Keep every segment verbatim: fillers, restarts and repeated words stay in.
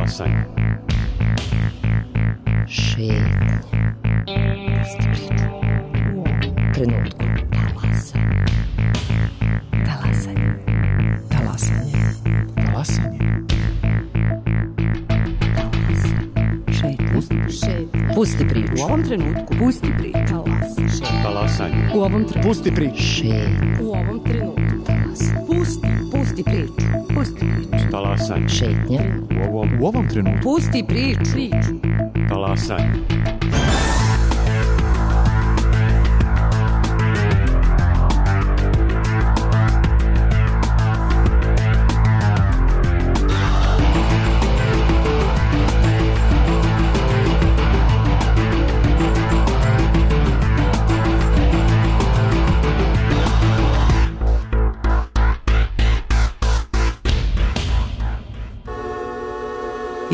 Talasanje. Šetnja. Pusti priču. U ovom trenutku. Talasanje. Talasanje. Talasanje. Talasanje. Šetnja. Pusti priču. U ovom trenutku. Pusti priču. Talasanje. U ovom trenutku. Pusti priču. Šetnja. U ovom trenutku. Talasanje. Pusti. Pusti priču. Pusti priču. Talasanje. Šetnja. U ovom, U ovom trenutku. Pusti priču. Priču. talasanje.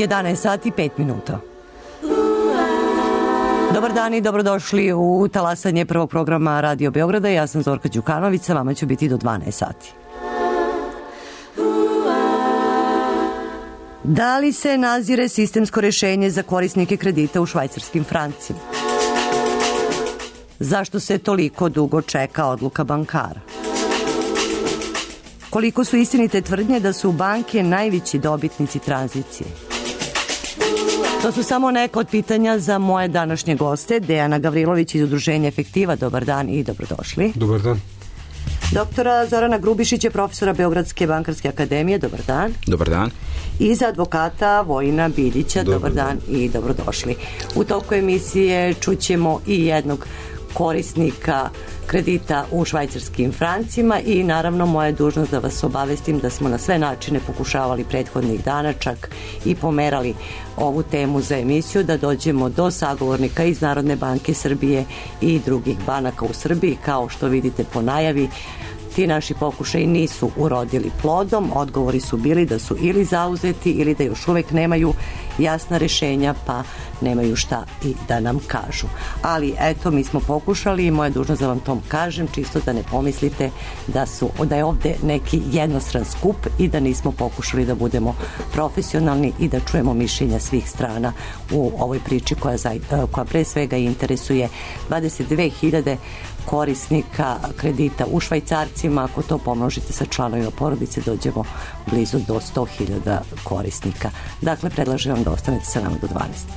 jedanaest sati pet minuta. Dobar dan i dobrodošli u talasanje prvog programa Radio Beograda. Ja sam Zorka Đukanović, sa vama ću biti do dvanaest sati. Da li se nazire sistemsko rešenje za korisnike kredita u švajcarskim francima? Zašto se toliko dugo čeka odluka bankara? Koliko su istinite tvrdnje da su banke najveći dobitnici tranzicije? To su samo neka od pitanja za moje današnje goste. Dejana Gavrilović iz Udruženja Efektiva. Dobar dan i dobrodošli. Dobar dan. Doktora Zorana Grubišića, profesora Beogradske bankarske akademije. Dobar dan. Dobar dan. I za advokata Vojina Biljića. Dobar, Dobar dan. dan i dobrodošli. U toku emisije čućemo i jednog korisnika kredita u švajcarskim francima i naravno moja je dužnost da vas obavestim da smo na sve načine pokušavali prethodnih dana čak i pomerali ovu temu za emisiju, da dođemo do sagovornika iz Narodne banke Srbije i drugih banaka u Srbiji. Kao što vidite po najavi, ti naši pokušaji nisu urodili plodom. Odgovori su bili da su ili zauzeti ili da još uvek nemaju jasna rešenja, pa nemaju šta i da nam kažu. Ali eto, mi smo pokušali i moja dužnost da vam to kažem, čisto da ne pomislite da, su, da je ovde neki jednostran skup i da nismo pokušali da budemo profesionalni i da čujemo mišljenja svih strana u ovoj priči koja, koja pre svega interesuje dvadeset dve hiljade korisnika kredita u švajcarcima. Ako to pomnožite sa članovima porodice, dođemo blizu do sto hiljada korisnika. Dakle, predlažem vam da ostanete sa nama do dvanaest.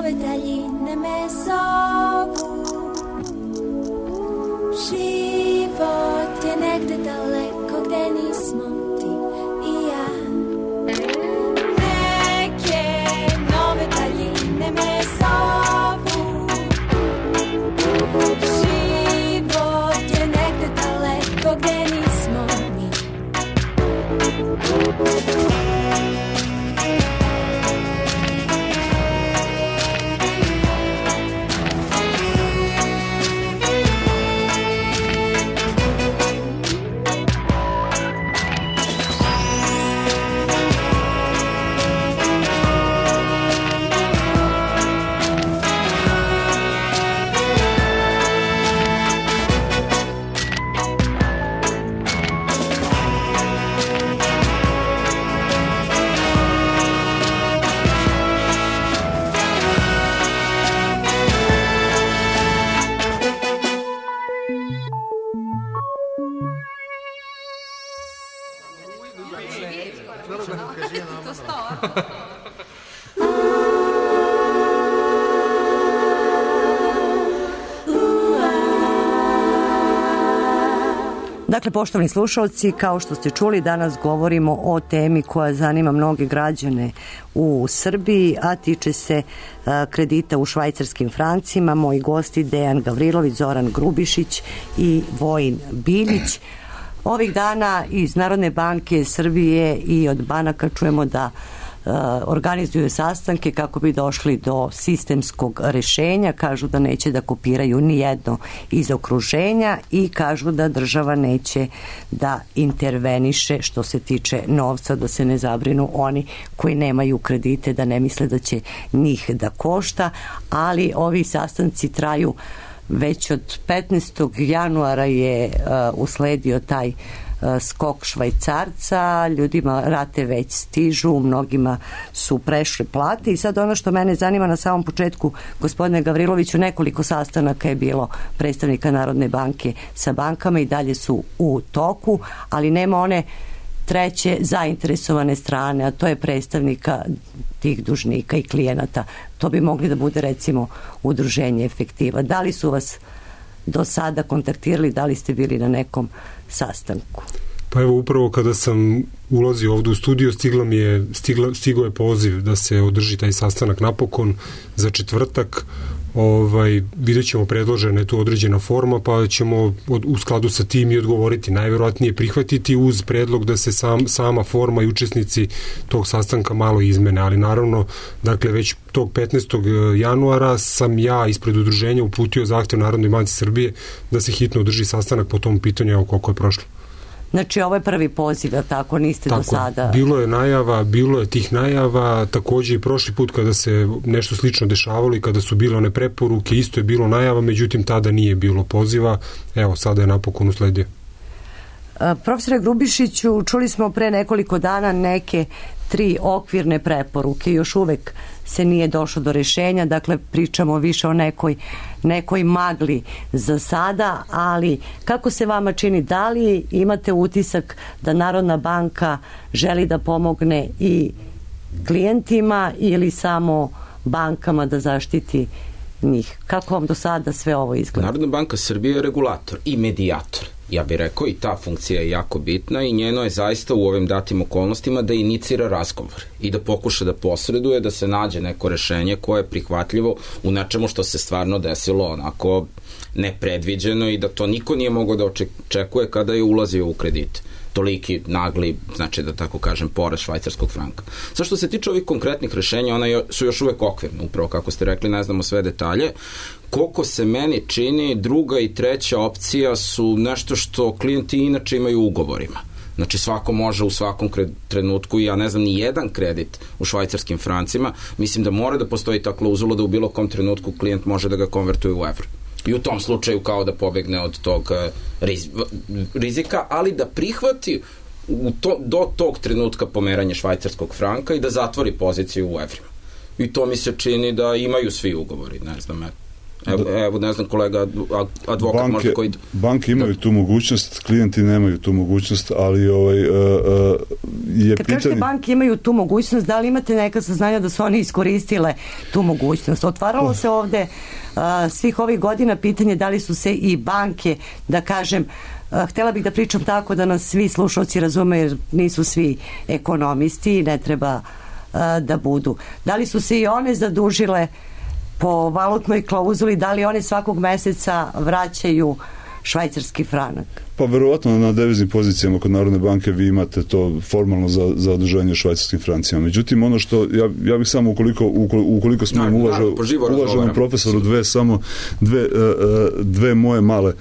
nove daljine me zovu. Život je negde daleko gde nismo ti i ja. Neke nove daljine me zovu. Život je negde daleko gde nismo mi. Dakle, poštovani slušalci, kao što ste čuli, danas govorimo o temi koja zanima mnoge građane u Srbiji, a tiče se a, kredita u švajcarskim francima. Moji gosti Dejan Gavrilović, Zoran Grubišić i Vojin Biljić. Ovih dana iz Narodne banke Srbije i od banaka čujemo da organizuju sastanke kako bi došli do sistemskog rešenja. Kažu da neće da kopiraju ni jedno iz okruženja i kažu da država neće da interveniše što se tiče novca, da se ne zabrinu oni koji nemaju kredite, da ne misle da će njih da košta, ali ovi sastanci traju već od petnaestog januara je uh, usledio taj uh, skok Švajcarca, ljudima rate već stižu, mnogima su prešle plate i sad ono što mene zanima na samom početku, gospodine Gavriloviću, nekoliko sastanaka je bilo predstavnika Narodne banke sa bankama i dalje su u toku, ali nema one treće zainteresovane strane, a to je predstavnika tih dužnika i klijenata. To bi mogli da bude recimo udruženje Efektiva. Da li su vas do sada kontaktirali, da li ste bili na nekom sastanku? Pa evo, upravo kada sam ulazio ovdje u studio, stigla mi je, stigla, stigao je poziv da se održi taj sastanak napokon za četvrtak. Ovaj, vidjet ćemo, predložena je tu određena forma, pa ćemo od, u skladu sa tim i odgovoriti. Najverovatnije prihvatiti uz predlog da se sam, sama forma i učesnici tog sastanka malo izmene, ali naravno, dakle, već tog petnaestog januara sam ja ispred udruženja uputio zahtev Narodnoj banci Srbije da se hitno održi sastanak po tom pitanju, evo koliko je prošlo. Znači, ovo je prvi poziv, a tako niste tako, do sada... Bilo je najava, bilo je tih najava, takođe i prošli put kada se nešto slično dešavalo i kada su bile one preporuke, isto je bilo najava, međutim tada nije bilo poziva, evo sada je napokon usledio. Profesore Grubišiću, čuli smo pre nekoliko dana neke tri okvirne preporuke, još uvek se nije došlo do rešenja, dakle pričamo više o nekoj, nekoj magli za sada, ali kako se vama čini, da li imate utisak da Narodna banka želi da pomogne i klijentima ili samo bankama da zaštiti njih? Kako vam do sada sve ovo izgleda? Narodna banka Srbije je regulator i medijator. Ja bih rekao, i ta funkcija je jako bitna i njeno je zaista u ovim datim okolnostima da inicira razgovor i da pokuša da posreduje, da se nađe neko rešenje koje je prihvatljivo u nečemu što se stvarno desilo onako nepredviđeno i da to niko nije mogao da očekuje kada je ulazio u kredit. Toliki nagli, znači da tako kažem, porast švajcarskog franka. Sa što se tiče ovih konkretnih rešenja, ona su još uvek okvirne, upravo kako ste rekli, ne znamo sve detalje. Koliko se meni čini, druga i treća opcija su nešto što klijenti inače imaju u ugovorima. Znači svako može u svakom trenutku, ja ne znam ni jedan kredit u švajcarskim francima, mislim da mora da postoji ta klauzula da u bilo kom trenutku klijent može da ga konvertuje u evro. I u tom slučaju kao da pobegne od tog rizika, ali da prihvati u to, do tog trenutka pomeranje švajcarskog franka i da zatvori poziciju u evrima. I to mi se čini da imaju svi ugovori, ne znam, Evo, evo ne znam, kolega advokat banke, možda koji... Banke imaju da. tu mogućnost, klijenti nemaju tu mogućnost, ali ovaj, uh, uh, je Kad pitanje... kažete banke imaju tu mogućnost, da li imate neka saznanja da su oni iskoristile tu mogućnost? Otvaralo se ovde uh, svih ovih godina pitanje da li su se i banke, da kažem, uh, htjela bih da pričam tako da nas svi slušalci razume, jer nisu svi ekonomisti i ne treba uh, da budu. Da li su se i one zadužile po valutnoj klauzuli, da li one svakog meseca vraćaju švajcarski franak? Pa verovatno na deviznim pozicijama kod Narodne banke vi imate to formalno za, za održanje švajcarskim francima. Međutim, ono što, ja, ja bih samo ukoliko, ukoliko, ukoliko smijem uvaža, uvaženom profesoru dve, samo dve, dve moje male,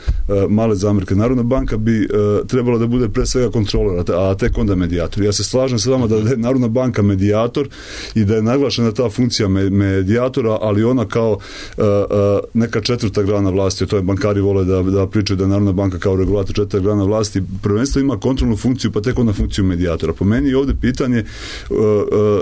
male zamjerke. Narodna banka bi trebala da bude pre svega kontrolor, a tek onda medijator. Ja se slažem sa vama da je Narodna banka medijator i da je naglašena ta funkcija medijatora, ali ona kao neka četvrta grana vlasti, to je bankari vole da, da pričaju da je Narodna banka kao regulator četvrta grana vlasti, prvenstveno ima kontrolnu funkciju, pa tek onda funkciju medijatora. Po meni je ovde pitanje uh, uh,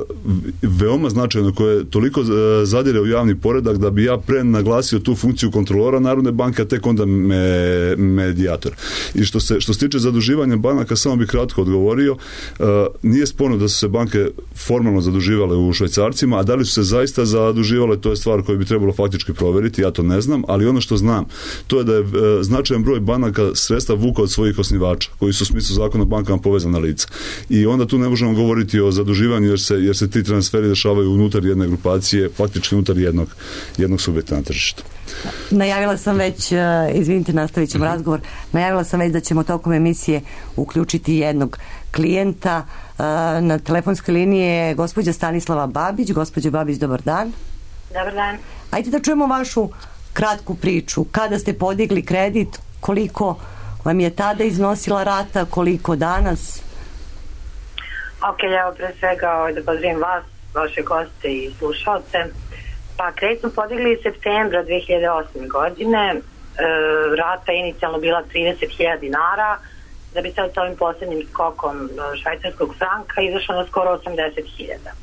veoma značajno, koje toliko uh, zadire u javni poredak da bi ja pre naglasio tu funkciju kontrolora Narodne banke, a tek onda me, medijator. I što se, što se tiče zaduživanja banaka, samo bih kratko odgovorio, uh, nije sporno da su se banke formalno zaduživale u švajcarcima, a da li su se zaista zaduživale, to je stvar koju bi trebalo faktički proveriti, ja to ne znam, ali ono što znam, to je da je uh, značajan broj banaka sredstva vuka od svojih osnivača, koji su u smislu zakona o bankama povezana lica. I onda tu ne možemo govoriti o zaduživanju, jer se, jer se ti transferi dešavaju unutar jedne grupacije, faktički unutar jednog, jednog subjekta na tržištu. Najavila sam već, izvinite, nastavit ćemo razgovor, najavila sam već da ćemo tokom emisije uključiti jednog klijenta. Na telefonskoj liniji je gospođa Stanislava Babić. Gospođa Babić, dobar dan. Dobar dan. Ajde da čujemo vašu kratku priču. Kada ste podigli kredit, koliko vam je tada iznosila rata, koliko danas? Ok, evo pre svega da pozdravim vas, vaše goste i slušalce. Pa kredit smo podigli septembra dve hiljade osme godine, e, rata je inicijalno bila trideset hiljada dinara, da bi sad s ovim poslednjim skokom švajcarskog franka izašlo na skoro osamdeset hiljada. E,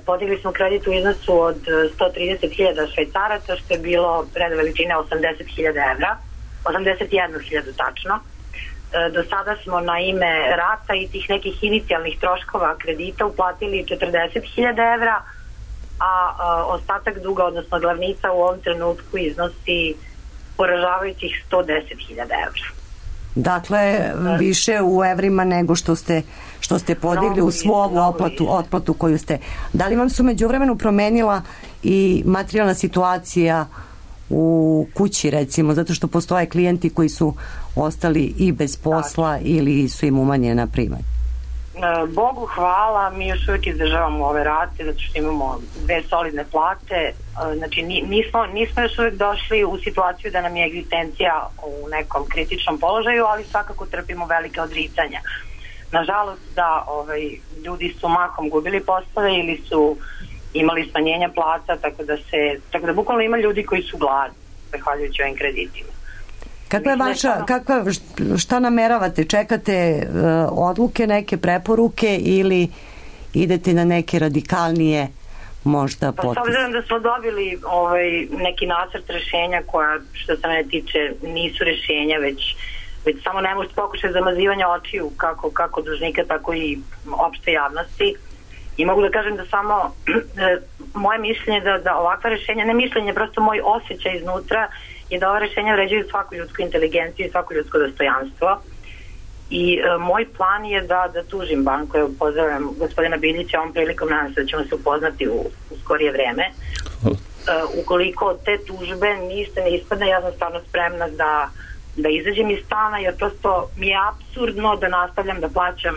podigli smo kredit u iznosu od sto trideset hiljada švajcaraca, što je bilo red veličine osamdeset hiljada evra, osamdeset jedna hiljada tačno. E, do sada smo na ime rata i tih nekih inicijalnih troškova kredita uplatili četrdeset hiljada evra, a, a ostatak duga, odnosno glavnica u ovom trenutku iznosi poražavajućih sto deset hiljada evra. Dakle, više u evrima nego što ste, što ste podigli u svu ovu otplatu, otplatu koju ste. Da li vam su međuvremenu promenila i materijalna situacija u kući, recimo, zato što postoje klijenti koji su ostali i bez posla ili su im umanjena primanja? Bogu hvala, mi još uvijek izdržavamo ove rate zato što imamo dve solidne plate, znači nismo, nismo još uvijek došli u situaciju da nam je egzistencija u nekom kritičnom položaju, ali svakako trpimo velike odricanja. Nažalost da ovaj, ljudi su mahom gubili poslove ili su imali smanjenja plata, tako da se, tako da bukvalno ima ljudi koji su gladni zahvaljujući ovim kreditima. Kakva je vaša, kakva, šta nameravate? Čekate uh, odluke, neke preporuke ili idete na neke radikalnije možda potpise? Pa s obzirom da smo dobili ovaj, neki nacrt rešenja koja, što se mene tiče, nisu rešenja, već, već samo ne možete pokušati zamazivanja očiju kako, kako dužnika, tako i opšte javnosti. I mogu da kažem da samo moje mišljenje da, da ovakva rešenja, ne mišljenje, prosto moj osjećaj iznutra je da ova rešenja vređaju svaku ljudsku inteligenciju i svako ljudsko dostojanstvo. I e, moj plan je da, da tužim banku. Evo, pozdravljam gospodina Biljića, ovom prilikom nadam se da ćemo se upoznati u, u skorije vreme. E, ukoliko te tužbe niste ne ispadne, ja sam stvarno spremna da, da izađem iz stana, jer prosto mi je apsurdno da nastavljam da plaćam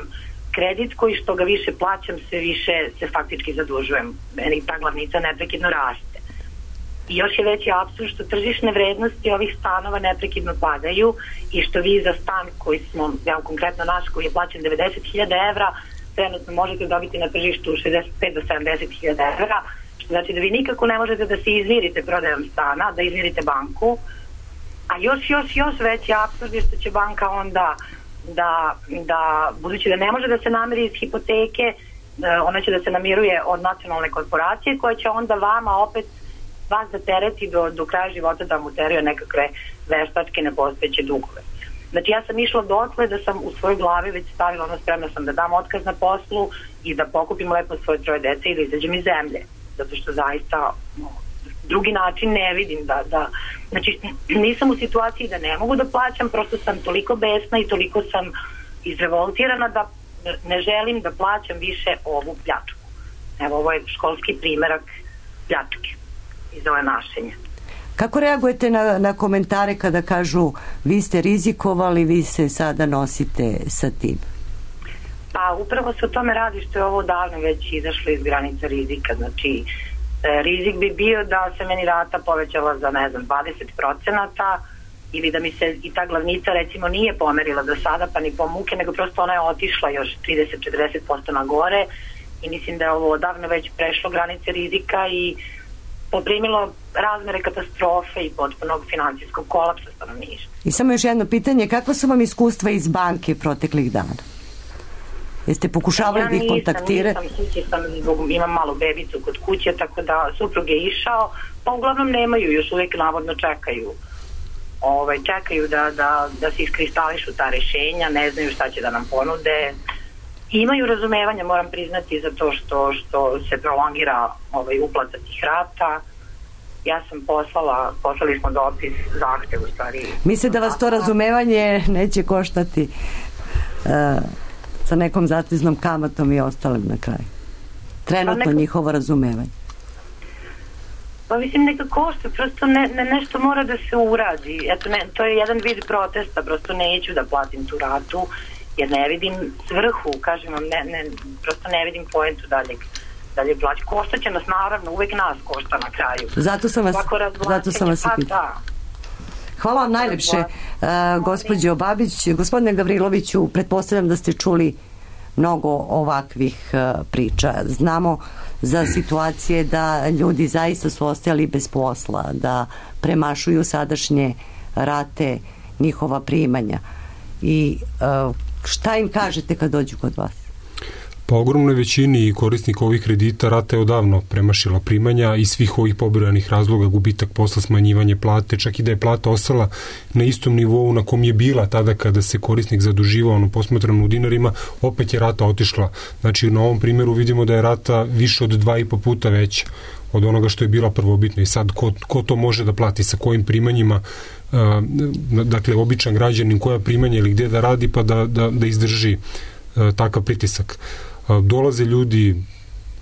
kredit koji što ga više plaćam, sve više se faktički zadužujem. Meni ta glavnica neprekidno raste. I još je veći apsurd što tržišne vrednosti ovih stanova neprekidno padaju i što vi za stan koji smo, ja konkretno naš koji je plaćen devedeset hiljada evra, trenutno možete dobiti na tržištu šezdeset pet do sedamdeset hiljada evra, što znači da vi nikako ne možete da se izmirite prodajom stana, da izmirite banku, a još, još, još veći apsurd je što će banka onda da, da budući da ne može da se namiri iz hipoteke, ona će da se namiruje od nacionalne korporacije koja će onda vama opet vas da tereti do, do kraja života da mu teraju nekakve veštačke nepostojeće dugove. Znači ja sam išla dotle da sam u svojoj glavi već stavila ono, spremna sam da dam otkaz na poslu i da pokupim lepo svoje troje dece i da izađem iz zemlje. Zato što zaista no, drugi način ne vidim da, da znači nisam u situaciji da ne mogu da plaćam, prosto sam toliko besna i toliko sam izrevoltirana da ne želim da plaćam više ovu pljačku. Evo, ovo je školski primerak pljačke iz ove našenja. Kako reagujete na, na komentare kada kažu vi ste rizikovali, vi se sada nosite sa tim? Pa upravo se o tome radi što je ovo davno već izašlo iz granica rizika. Znači, e, rizik bi bio da se meni rata povećala za, ne znam, dvadeset procenata ili da mi se i ta glavnica recimo nije pomerila do sada pa ni po muke, nego prosto ona je otišla još trideset do četrdeset posto na gore i mislim da je ovo odavno već prešlo granice rizika i poprimilo razmere katastrofe i potpunog finansijskog kolapsa stanovništva. I samo još jedno pitanje, kakva su vam iskustva iz banke proteklih dana? Jeste pokušavali ja da ih kontaktirati? Nisam, nisam, nisam, imam malu bebicu kod kuće, tako da suprug je išao, pa uglavnom nemaju, još uvijek navodno čekaju. Ove, čekaju da, da, da se iskristališu ta rešenja, ne znaju šta će da nam ponude. Imaju razumevanja, moram priznati, za to što, što se prolongira ovaj, uplata tih rata. Ja sam poslala, poslali smo dopis, zahtev u stvari. Misle da vas to razumevanje neće koštati uh, sa nekom zateznom kamatom i ostalim na kraju? Trenutno neka, njihovo razumevanje. Pa mislim neka košta, prosto ne, ne, nešto mora da se uradi. Eto, ne, to je jedan vid protesta, prosto neću da platim tu ratu, jer ne vidim svrhu, kažem vam, ne, ne, prosto ne vidim poentu daljeg, dalje plaći. Košta će nas, naravno, uvek nas košta na kraju. Zato sam vas, zato sam vas i pitala. Hvala vam najlepše, uh, gospođo Babić. Gospodine Gavriloviću, pretpostavljam da ste čuli mnogo ovakvih uh, priča. Znamo za situacije da ljudi zaista su ostajali bez posla, da premašuju sadašnje rate njihova primanja. I uh, šta im kažete kad dođu kod vas? Pa ogromnoj većini korisnika ovih kredita rata je odavno premašila primanja i svih ovih pobrojanih razloga, gubitak posla, smanjivanje plate, čak i da je plata ostala na istom nivou na kom je bila tada kada se korisnik zaduživao, ono posmatrano u dinarima, opet je rata otišla. Znači na ovom primjeru vidimo da je rata više od dva i po puta veća od onoga što je bila prvobitna i sad ko, ko to može da plati, sa kojim primanjima, uh, dakle običan građanin koja primanja ili gdje da radi pa da, da, da izdrži uh, takav pritisak. Dolaze ljudi,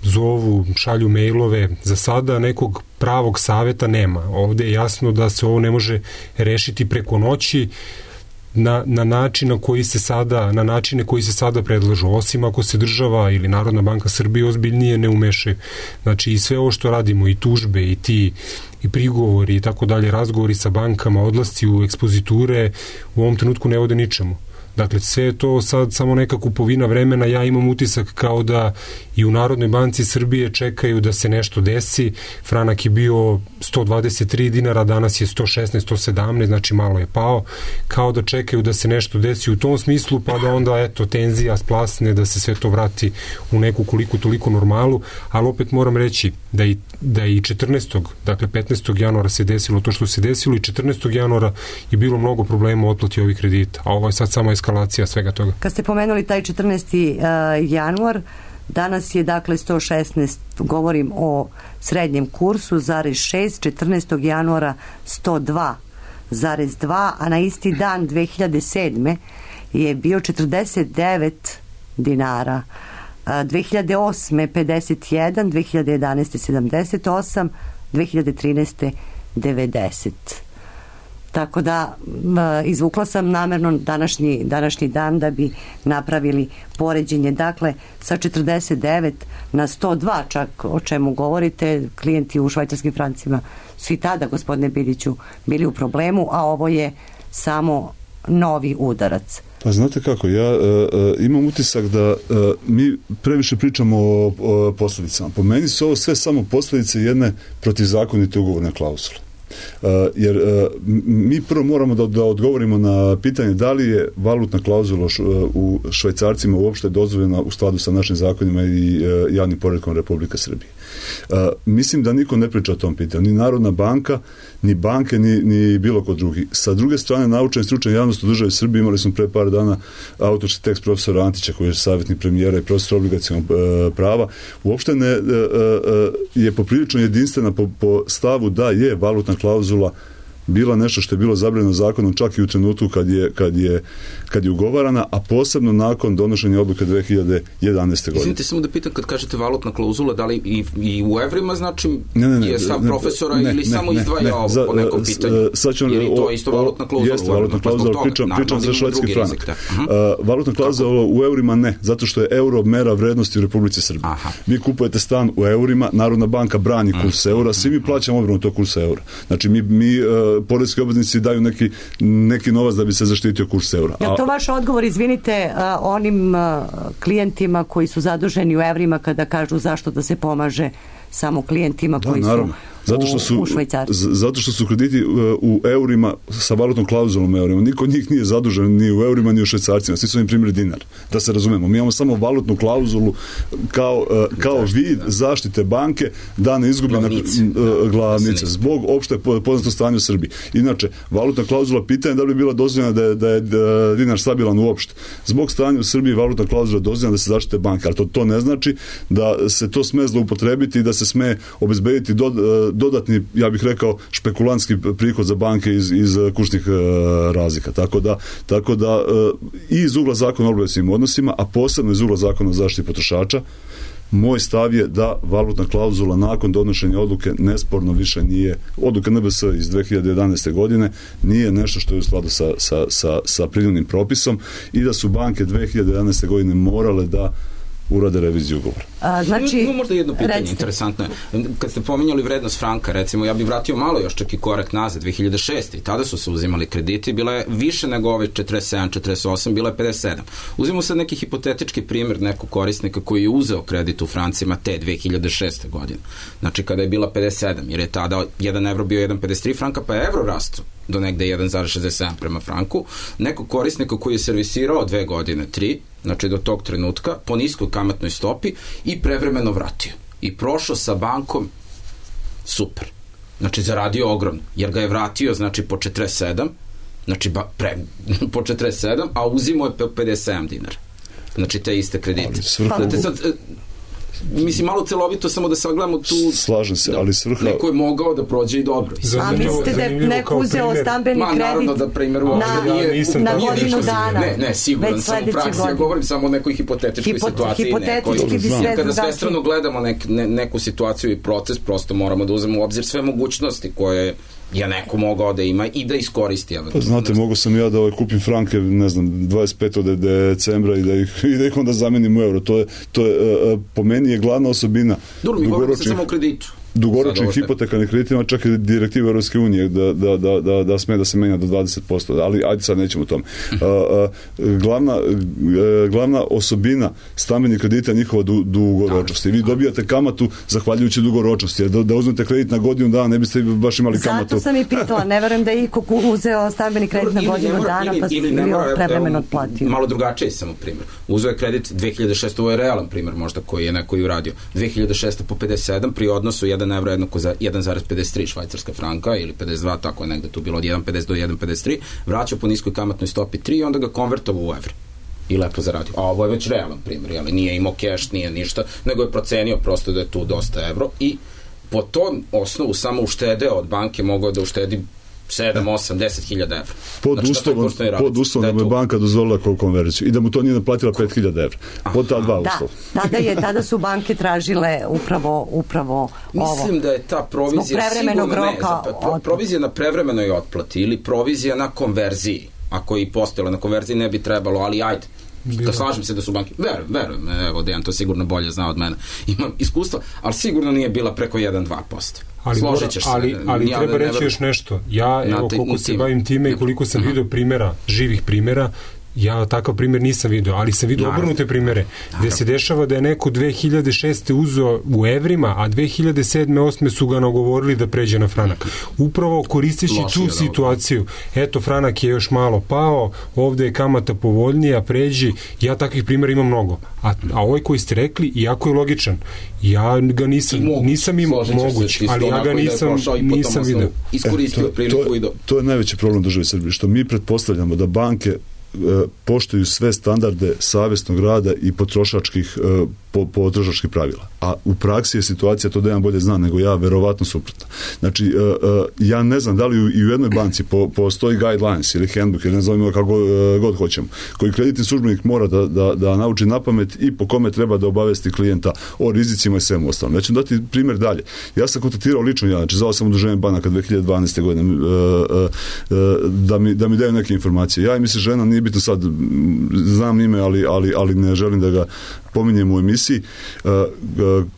zovu, šalju mailove, za sada nekog pravog saveta nema. Ovde je jasno da se ovo ne može rešiti preko noći na, na način na koji se sada, na načine koji se sada predlažu, osim ako se država ili Narodna banka Srbije ozbiljnije ne umeše. Znači i sve ovo što radimo, i tužbe, i ti i prigovori i tako dalje, razgovori sa bankama, odlasci u ekspoziture u ovom trenutku ne vode ničemu. Dakle, sve je to sad samo neka kupovina vremena. Ja imam utisak kao da i u Narodnoj banci Srbije čekaju da se nešto desi. Franak je bio sto dvadeset tri dinara, danas je sto šesnaest, sto sedamnaest, znači malo je pao. Kao da čekaju da se nešto desi u tom smislu, pa da onda, eto, tenzija splasne, da se sve to vrati u neku koliko toliko normalu. Ali opet moram reći da i, da i četrnaestog, dakle petnaestog januara se desilo to što se desilo i četrnaestog januara je bilo mnogo problema u otplati ovih kredita. A ovo je sad samo eskalacija svega toga. Kad ste pomenuli taj četrnaesti januar, danas je dakle sto šesnaest, govorim o srednjem kursu, zarez šest, četrnaestog januara sto dva zarez dva, a na isti dan dve hiljade sedme je bio četrdeset devet dinara, dve hiljade osme pedeset jedan, dve hiljade jedanaeste sedamdeset osam, dve hiljade trinaeste devedeset. Tako da izvukla sam namerno današnji, današnji dan da bi napravili poređenje. Dakle, sa četrdeset devet na sto dva, čak o čemu govorite, klijenti u švajcarskim francima su i tada, gospodine Biliću, bili u problemu, a ovo je samo novi udarac. Pa znate kako, ja uh, imam utisak da uh, mi previše pričamo o, o posljedicama. Po meni su ovo sve samo posljedice jedne protivzakonite ugovorne klauzule. Uh, jer uh, mi prvo moramo da, da odgovorimo na pitanje da li je valutna klauzula š, uh, u švajcarcima uopšte dozvoljena u skladu sa našim zakonima i uh, javnim poretkom Republike Srbije. Uh, mislim da niko ne priča o tom pitanju, ni Narodna banka, ni banke, ni, ni bilo kod drugi. Sa druge strane, naučna i stručna javnost u državi Srbije, imali smo pre par dana autorski tekst profesora Antića, koji je savjetnik premijera i profesor obligacionog uh, prava, uopšte ne, uh, uh, je poprilično jedinstvena po, po stavu da je valutna klauzula bila nešto što je bilo zabranjeno zakonom čak i u trenutku kad je, kad je, kad je ugovarana, a posebno nakon donošenja odluke dve hiljade jedanaeste. godine. Izvinite, samo da pitam, kad kažete valutna klauzula, da li i, i u evrima znači ne, ne, ne, je stav profesora ne, ili ne, samo ne, izdvaja ne, ovo za, po nekom pitanju? Sad ću, ili to isto valutna klauzula? Jeste valutna klauzula, pričam, pričam za švedski frank. Uh-huh. Uh, valutna klauzula u eurima ne, zato što je euro mera vrednosti u Republici Srbiji. Aha. Vi kupujete stan u eurima, Narodna banka brani kurs eura, svi mi plaćamo odbranu tog kursa eura. Znači mi, mi uh, poreski obveznici daju neki, neki novac da bi se zaštitio kurs eura. Je to vaš odgovor, izvinite, uh, onim uh, klijentima koji su zaduženi u evrima kada kažu zašto da se pomaže samo klijentima koji da, su zato što su, u, u Švajcarskoj? Zato što su krediti u eurima sa valutnom klauzulom eurima. Niko od njih nije zadužen ni u eurima ni u švajcarcima. Svi su im primjer dinar. Da se razumemo. Mi imamo samo valutnu klauzulu kao, kao vid zaštite banke da ne izgubi glavnice, na, glavnice zbog opšte poznato stanje u Srbiji. Inače, valutna klauzula pitanje da li bi bila dozvoljena da je, da je dinar stabilan uopšte. Zbog stanja u Srbiji valutna klauzula dozvoljena da se zaštite banke. Ali to, to ne znači da se to sme zloupotrebiti i da se sme obezbediti do, dodatni, ja bih rekao, špekulantski prihod za banke iz, iz kursnih uh, razlika. Tako da, tako da uh, i iz ugla zakona o obligacionim odnosima, a posebno iz ugla zakona o zaštiti potrošača, moj stav je da valutna klauzula nakon donošenja odluke nesporno više nije, odluka N B S iz dve hiljade jedanaeste. godine nije nešto što je u skladu sa, sa, sa, sa primjerenim propisom i da su banke dve hiljade jedanaeste. godine morale da urade reviziju ugovora. A, znači, no, možda jedno pitanje, recite. Interesantno je. Kad ste pominjali vrednost franka, recimo, ja bih vratio malo još čak i korak nazad, dve hiljade šeste. I tada su se uzimali krediti, bila je više nego ove četrdeset sedam četrdeset osam, bila je pedeset sedam. Uzimo sad neki hipotetički primjer nekog korisnika koji je uzeo kredit u francima te dve hiljade šeste. godine. Znači, kada je bila pedeset sedam, jer je tada jedan evro bio jedan zarez pedeset tri franka, pa je evro rastao do negde jedan zarez šezdeset sedam prema franku. Nekog korisnika koji je servisirao dve godine, tri, znači do tog trenutka, po niskoj kamatnoj stopi i prevremeno vratio. I prošao sa bankom super. Znači, zaradio ogromno, jer ga je vratio, znači, po četrdeset sedam, znači, ba, pre, po četrdeset sedam, a uzimo je pedeset sedam dinara. Znači, te iste kredite. Znate, sad, mislim, malo celovito samo da sagledamo tu... Slažem se, ali svrha... Neko je mogao da prođe i dobro. A mislite da je neko uzeo stambeni kredit? Ma, naravno da primjer uopšte nije... Na godinu dana. Ne, ne, siguran sam u praksi. Ja govorim samo o nekoj hipotetičkoj Hipo, situaciji. Hipotetički bi sve kada svestrano gledamo nek, ne, neku situaciju i proces, prosto moramo da uzmemo u obzir sve mogućnosti koje je neko mogao da ima i da iskoristi. Pa, znate, mogu sam ja da ovaj kupim franke, ne znam, dvadeset petog decembra i da ih, i da ih onda zamenim u euro. To je, to je, po meni je glavna osobina. Dobro, mi govorimo se samo o kreditu. Dugoročnih hipotekarnih kreditima, čak i direktive Europske unije da, da, da, da, da sme da se menja do dvadeset posto, ali ajde sad nećemo o tome. Uh, uh, glavna, uh, glavna osobina stambenih kredita je njihova du, dugoročnost. I vi dobijate kamatu zahvaljujući dugoročnosti. Jer da, da uzmete kredit na godinu dana, ne biste baš imali kamatu. Zato sam i pitala, ne verujem da je iko uzeo stambeni kredit na godinu mora, dana ili, pa ili ne mora, prevremeno otplatio. Malo drugačije samo primjer. Uzeo je kredit dve hiljade šeste. Ovo je realan primjer možda koji je neko i uradio. dve hiljade šeste po pedeset sedam pri odnosu jedan evro jednako za jedan zarez pedeset tri švajcarska franka ili pedeset dva, tako je negde tu bilo od jedan zarez pedeset do jedan zarez pedeset tri, vraćao po niskoj kamatnoj stopi tri i onda ga konvertovao u evre i lepo zaradio. A ovo je već realan primjer, jel? Nije imao keš, nije ništa, nego je procenio prosto da je tu dosta evro i po tom osnovu samo uštedeo od banke, mogao da uštedi sedam, osam, deset hiljada evra. Pod znači, uslovom, pod uslovom da je banka dozvolila konverziju i da mu to nije naplatila pet hiljada evra. Pod ta dva da, uslova. Tada, je, tada su banke tražile upravo, upravo ovo. Mislim da je ta provizija sigurno ne, pro, provizija na prevremenoj otplati ili provizija na konverziji, ako je i postojala na konverziji ne bi trebalo, ali ajde. Da slažem se da su banke, verujem, verujem, evo Dejan to sigurno bolje zna od mene, imam iskustva, ali sigurno nije bila preko jedan do dva posto. Ali, mora, ali, ali treba reći još nešto. Ja, evo, koliko se bavim time i koliko sam vidio primjera, živih primjera, Ja takav primjer nisam vidio, ali sam vidio obrnute primjere, gde se dešava da je neko dve hiljade šeste uzeo u evrima, a dve hiljade sedme osme su ga nagovorili da pređe na franak. Upravo koristeći tu situaciju, eto, franak je još malo pao, ovde je kamata povoljnija, pređi, ja takvih primjera imam mnogo. A, a ovaj koji ste rekli, jako je logičan. Ja ga nisam, nisam imao moguć, ali ja ga nisam, nisam vidio. Iskoristio e, priliku to, i do... To je najveći problem države Srbije, što mi pretpostavljamo da banke poštuju sve standarde savjesnog rada i potrošačkih po, potrošačkih pravila. A u praksi je situacija, to da ja bolje znam nego ja, verovatno suprotno. Znači, ja ne znam da li i u jednoj banci po, postoji guidelines ili handbook, ili ne znam kako god hoćemo, koji kreditni službenik mora da, da, da nauči na pamet i po kome treba da obavesti klijenta o rizicima i svemu ostalom. Ja ću dati primjer dalje. Ja sam kontaktirao lično, ja, znači zvao sam udruženje banaka dve hiljade dvanaeste. godine da mi, da mi daju neke informacije. Ja i mi se žena, nije bitno sad, znam ime, ali, ali, ali ne želim da ga pominjem u emisiji,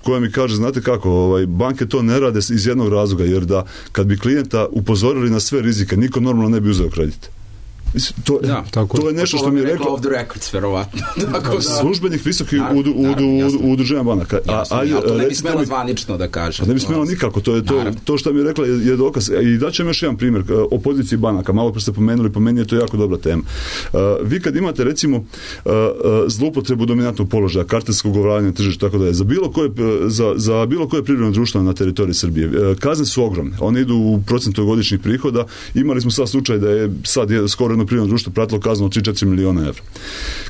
koja mi kaže, znate kako, ovaj, banke to ne rade iz jednog razloga, jer da kad bi klijenta upozorili na sve rizike, niko normalno ne bi uzeo kredit. To, da, tako, to je nešto što mi je rekao off the records, verovatno. Službenik visokih udruženja banaka. A, a, ja, to ne bi smela zvanično da kaže. Ne bi smela nikako, to je to, to što mi je rekla je, je dokaz. I daćem još jedan primjer o poziciji banaka, malo pre ste pomenuli, po meni je to jako dobra tema. Uh, vi kad imate recimo uh, zloupotrebu dominantnog položaja, kartelsko ugovaranje tržišta, tako da je, za bilo koje, za, za bilo koje privredno društvo na teritoriji Srbije, uh, kazne su ogromne. One idu u procentu godišnjih prihoda. Imali smo sad slučaj da je sad je skoro privredno društvo pratilo kaznu od tri do četiri miliona evra.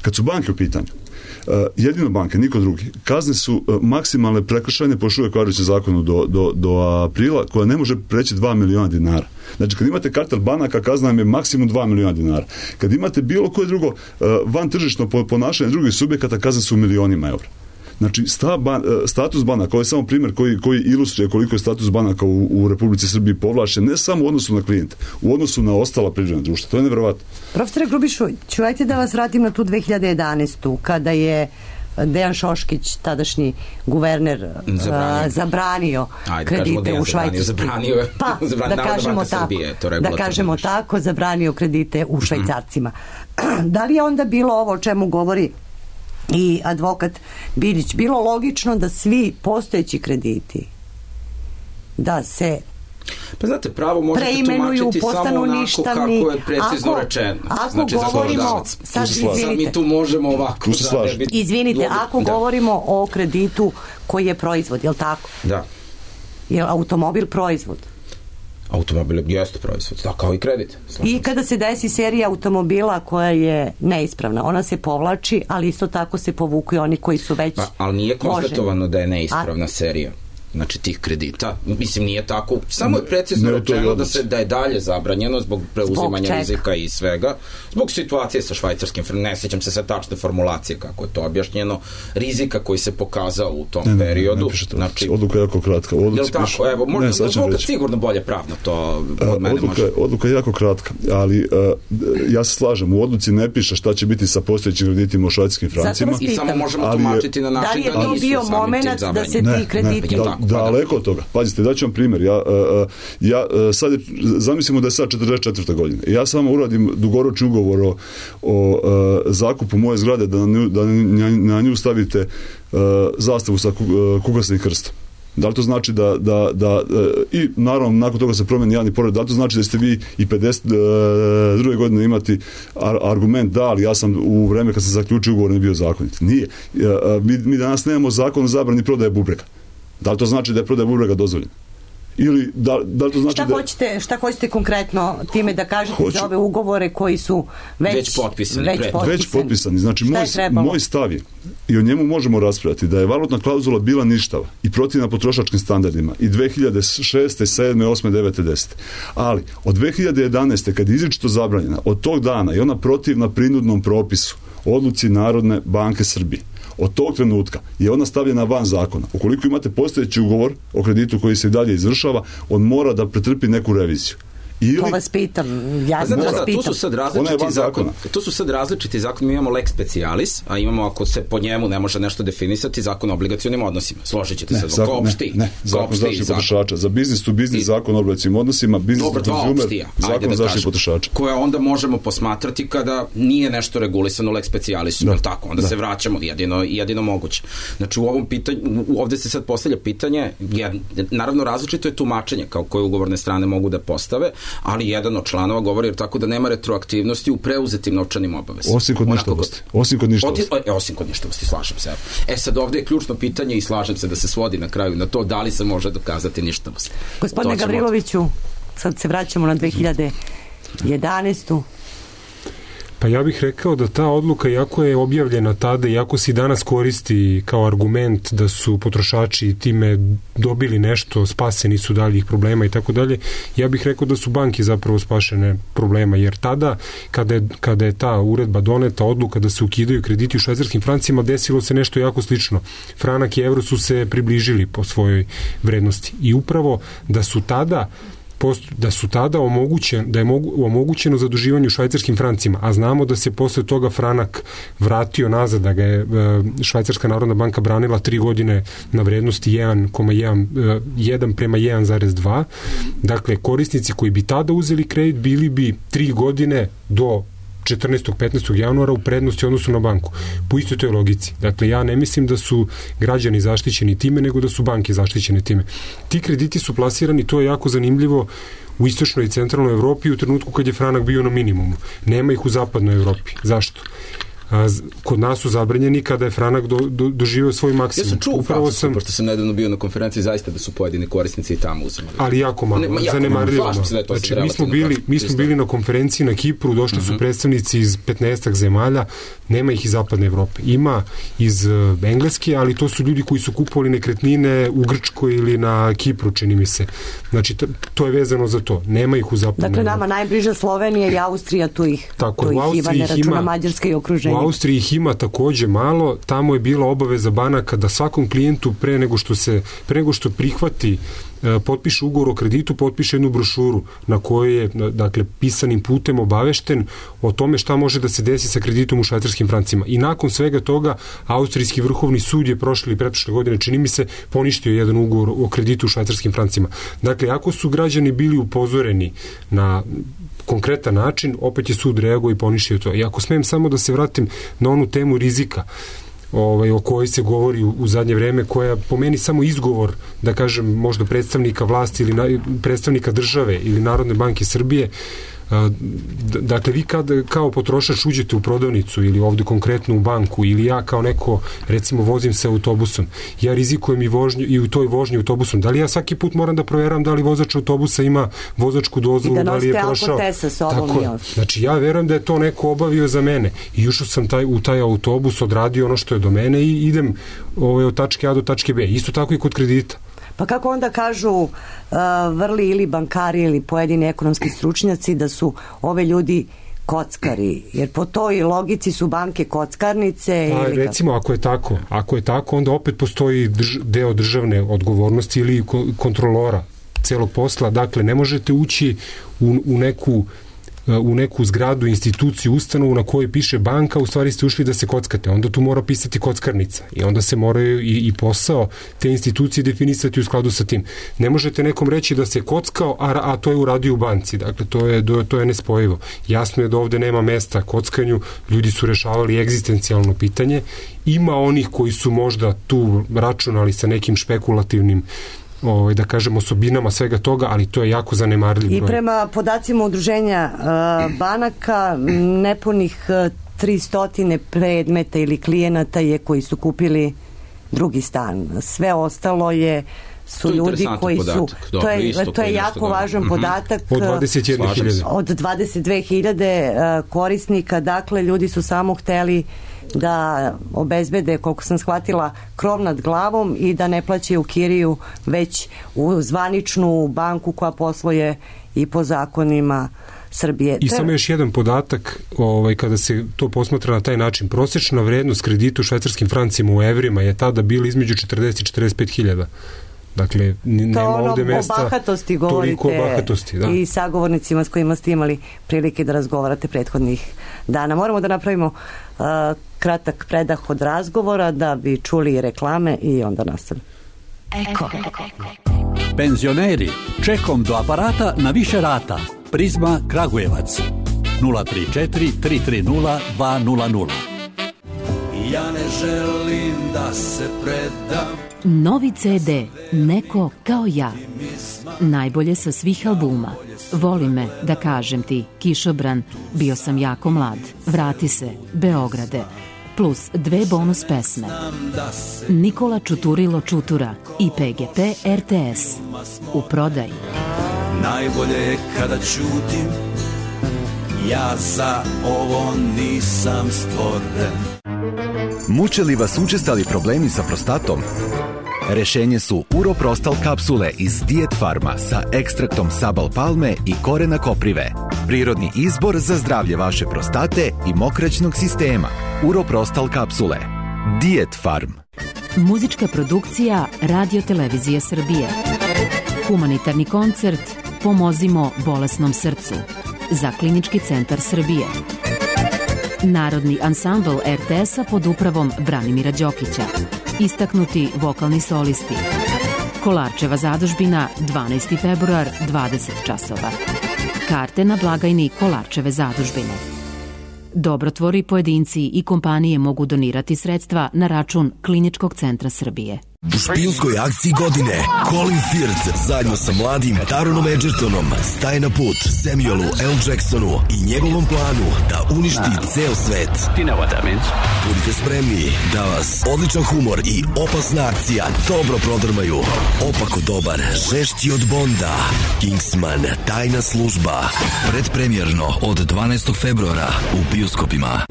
Kad su banke u pitanju, uh, jedino banke, niko drugi, kazne su uh, maksimalne prekršajne po još uvijek važećem zakonu do, do, do aprila, koja ne može preći dva miliona dinara. Znači, kad imate kartel banaka, kazna vam je maksimum dva miliona dinara. Kad imate bilo koje drugo uh, van tržišno ponašanje drugih subjekata, kazne su u milionima evra. Znači, sta, ban, status banaka, ovo je samo primjer koji, koji ilustruje koliko je status banaka u, u Republici Srbiji povlašen, ne samo u odnosu na klijente, u odnosu na ostala privredna društva. To je nevjerovatno. Profesore Grubišu, čuvajte da vas vratim na tu dve hiljade jedanaestu. kada je Dejan Šoškić, tadašnji guverner, zabranio, uh, zabranio Ajde, kredite u Švajcarskoj. Zabranio je. Pa, da kažemo tako, Srbije, da kažemo tako, zabranio kredite u švajcarcima. Da li je onda bilo ovo o čemu govori i advokat Biljić, bilo logično da svi postojeći krediti da se pa znate, pravo možete tumačiti samo onako ništavni, kako je precizno ako, rečeno. Ako znači, govorimo, sad izvinite, sad mi tu možemo ovako. Da, izvinite, ako da. govorimo o kreditu koji je proizvod, je li tako? Da. Je li automobil proizvod? Automobil jeste proizvod, da, kao i kredit. I kada se desi serija automobila koja je neispravna, ona se povlači, ali isto tako se povuku i oni koji su već pa, ali nije konstatovano da je neispravna A... serija. Znači tih kredita, mislim nije tako, samo je precizno ne, rečeno da se da je dalje zabranjeno zbog preuzimanja zbog rizika i svega, zbog situacije sa švajcarskim, ne sjećam se sa tačne formulacije kako je to objašnjeno, rizika koji se pokazao u tom ne, ne, periodu. Ne, ne znači, odluka je jako kratka. Je li tako? Evo, možda advokat sigurno bolje pravno to od mene odluka, može. Odluka je jako kratka, ali uh, ja se slažem, u odluci ne piše šta će biti sa postojećim kreditima u švajcarskim francima. I samo možemo tumačiti na način da, da nisu bio moment da se ti krediti daleko od toga. Pazite, daću vam primjer. Ja, ja sad je, zamislimo da je sad četrdeset četvrta godina. Ja samo uradim dugoročni ugovor o, o zakupu moje zgrade da na nju, da na nju stavite zastavu sa kuglasnim krstom. Da li to znači da, da, da i naravno nakon toga se promeni javni pored, da li to znači da ste vi i pedeset druge godine imati argument da, ali ja sam u vreme kad sam zaključio ugovor ne bio zakonit. Nije. Mi, mi danas nemamo zakon o zabrani prodaje bubrega. Da li to znači da je prodaja bubrega dozvoljena? Ili da, da li to znači šta da... Hoćete, šta hoćete konkretno time da kažete Hoću... za ove ugovore koji su već, već potpisani? Već potpisani. Već potpisani. Znači, moj, moj stav je, i o njemu možemo raspravljati, da je valutna klauzula bila ništava i protivna potrošačkim standardima i dve hiljade šeste, sedme, osme, devete, desete. Ali, od dve hiljade jedanaeste kad je izričito zabranjena, od tog dana je ona protivna prinudnom propisu, odluci Narodne banke Srbije. Od tog trenutka je ona stavljena van zakona. Ukoliko imate postojeći ugovor o kreditu koji se dalje izvršava, on mora da pretrpi neku reviziju. Ili... To vas pitam, ja sam vas pitam. Tu su sad različiti zakon. Tu su sad različiti zakon, mi imamo lex specialis, a imamo, ako se po njemu ne može nešto definisati, zakon o obligacionim odnosima. Složit ćete se, zakon, opšti. Ne, ne, zakon zaštite potrošača. Za biznis to biznis, I... zakon o obligacionim odnosima, biznis to consumer, zakon da zaštite potrošača. Koja onda možemo posmatrati kada nije nešto regulisano lex specialisom, da. Tako, onda da. Se vraćamo, jedino, jedino moguće. Znači, u ovom pitanju, ovde se sad postavlja pitanje, jed, naravno različito je tumačenje kao koje ugovorne strane mogu da postave, ali jedan od članova govori jer tako da nema retroaktivnosti u preuzetim novčanim obavezama. Osim kod ništavosti. Osim kod ništavosti. E, osim kod ništavosti, slažem se. E sad ovde je ključno pitanje i slažem se da se svodi na kraju na to da li se može dokazati ništavost. Gospodine Gavriloviću, sad se vraćamo na dve hiljade jedanaestu. Pa ja bih rekao da ta odluka, iako je objavljena tada, iako se i danas koristi kao argument da su potrošači time dobili nešto, spaseni su daljih problema i tako dalje, ja bih rekao da su banke zapravo spašene problema, jer tada, kada je, kada je ta uredba doneta, odluka da se ukidaju krediti u švajcarskim francima, desilo se nešto jako slično. Franak i evro su se približili po svojoj vrednosti. I upravo da su tada da su tada omogućen, da je mogu, omogućeno zaduživanje u švajcarskim francima, a znamo da se posle toga franak vratio nazad, da ga je Švajcarska narodna banka branila tri godine na vrednosti jedan zarez jedan, jedan prema jedan zarez dva. Dakle, korisnici koji bi tada uzeli kredit bili bi tri godine do četrnaestog petnaestog januara u prednosti odnosu na banku. Po istoj toj logici. Dakle, ja ne mislim da su građani zaštićeni time, nego da su banke zaštićene time. Ti krediti su plasirani, to je jako zanimljivo, u istočnoj i centralnoj Evropi u trenutku kad je franak bio na minimumu. Nema ih u zapadnoj Evropi. Zašto? A, kod nas su zabranjeni kada je franak do, do, doživio svoj maksimum. Ja sam čuo u Francusku, sam... pošto sam nedavno bio na konferenciji, zaista da su pojedini korisnici i tamo uzimali. Ali jako malo, zanemarljivo. Znači, mi smo bili, mi smo bili na konferenciji na Kipru, došli uh-huh. su predstavnici iz petnaestak zemalja, nema ih iz zapadne Evrope. Ima iz uh, Engleske, ali to su ljudi koji su kupovali nekretnine u Grčkoj ili na Kipru, čini mi se. Znači, t- to je vezano za to. Nema ih u zapadne Evrope. Dakle, nama najbliža Slovenija i Austrija, tu ih, Tako, tu ih ima, ne računa Mađarska i okruženje. U Austriji ih ima takođe malo, tamo je bila obaveza banaka da svakom klijentu pre nego što se, pre nego što prihvati potpiše ugovor o kreditu, potpiše jednu brošuru na kojoj je, dakle, pisanim putem obavešten o tome šta može da se desi sa kreditom u švajcarskim francima. I nakon svega toga, Austrijski vrhovni sud je prošle i pretprošle godine, čini mi se, poništio jedan ugovor o kreditu u švajcarskim francima. Dakle, ako su građani bili upozoreni na konkretan način, opet je sud reagovao i poništio to. I ako smijem samo da se vratim na onu temu rizika, ovaj, o kojoj se govori u, u zadnje vreme, koja po meni samo izgovor, da kažem, možda predstavnika vlasti ili na, predstavnika države ili Narodne banke Srbije. Dakle, vi kad, kao potrošač uđete u prodavnicu ili ovde konkretno u banku, ili ja kao neko, recimo, vozim se autobusom, ja rizikujem i, vožnju, i u toj vožnji autobusom. Da li ja svaki put moram da proveram da li vozač autobusa ima vozačku dozvolu, da, da li je prošao? Tako, znači, ja verujem da je to neko obavio za mene i ušao sam taj, u taj autobus, odradio ono što je do mene i idem ovaj, od tačke A do tačke B. Isto tako i kod kredita. Pa kako onda kažu uh, vrli ili bankari ili pojedini ekonomski stručnjaci da su ove ljudi kockari, jer po toj logici su banke kockarnice. Pa, ili recimo, ako je tako, ako je tako, onda opet postoji drž, deo državne odgovornosti ili kontrolora celog posla. Dakle, ne možete ući u, u neku u neku zgradu, instituciju, ustanovu na kojoj piše banka, u stvari ste ušli da se kockate. Onda tu mora pisati kockarnica i onda se moraju i, i posao te institucije definisati u skladu sa tim. Ne možete nekom reći da se kockao, a, a to je uradio u banci. Dakle, to je, to je nespojivo. Jasno je da ovde nema mesta kockanju, ljudi su rešavali egzistencijalno pitanje. Ima onih koji su možda tu računali sa nekim špekulativnim Ovaj, da kažem, osobinama svega toga, ali to je jako zanemarljiv broj. I prema podacima udruženja uh, banaka, nepunih uh, tristo predmeta ili klijenata je koji su kupili drugi stan. Sve ostalo je su to ljudi koji podatak. su Dobro, to je, isto, to je jako dobro. važan mm-hmm. podatak od dvadeset jedne hiljade od dvadeset dve hiljade uh, korisnika. Dakle, ljudi su samo hteli da obezbede, koliko sam shvatila, krov nad glavom i da ne plaćaju kiriju već u zvaničnu banku koja posluje i po zakonima Srbije. I samo još jedan podatak, ovaj, kada se to posmatra na taj način, prosečna vrednost kredita u švajcarskim francima u evrima je tada bila između četrdeset i četrdeset pet hiljada. Dakle, nema ono, ovde mesta o bahatosti govorite o bahatosti, da. I sagovornicima s kojima ste imali prilike da razgovarate prethodnih dana. Moramo da napravimo uh, kratak predah od razgovora da bi čuli reklame i onda nastavimo. Eko. Penzioneri, čekom do aparata na više rata. Prizma Kragujevac nula tri četiri tri tri nula dva nula nula. Ja ne želim da se predam. Novi ce de Neko kao ja. Najbolje sa svih albuma. Voli me, da kažem ti, Kišobran, bio sam jako mlad. Vrati se, Beograde. Plus dve bonus pesme. Nikola Čuturilo Čutura i pe ge pe er te es. U prodaji. Najbolje je kada ćutim, ja za ovo nisam stvoren. Muče li vas učestali problemi sa prostatom? Rešenje su Uroprostal kapsule iz Diet Farma sa ekstraktom sabal palme i korena koprive. Prirodni izbor za zdravlje vaše prostate i mokraćnog sistema. Uroprostal kapsule. Diet Farm. Muzička produkcija Radio Televizije Srbije. Humanitarni koncert Pomozimo bolesnom srcu za Klinički centar Srbije. Narodni ansambl er te es-a pod upravom Branimira Đokića. Istaknuti vokalni solisti. Kolarčeva zadužbina, dvanaesti februar, dvadeset časova. Karte na blagajni Kolarčeve zadužbine. Dobrotvori, pojedinci i kompanije mogu donirati sredstva na račun Kliničkog centra Srbije. U špijunskoj akciji godine Colin Firth zajedno sa mladim Taronom Edgertonom staje na put Samuelu L. Jacksonu i njegovom planu da uništi ceo svet. Budite spremni da vas odličan humor i opasna akcija dobro prodrmaju. Opako dobar, žešći od Bonda, Kingsman, tajna služba. Predpremjerno od dvanaestog februara u bioskopima.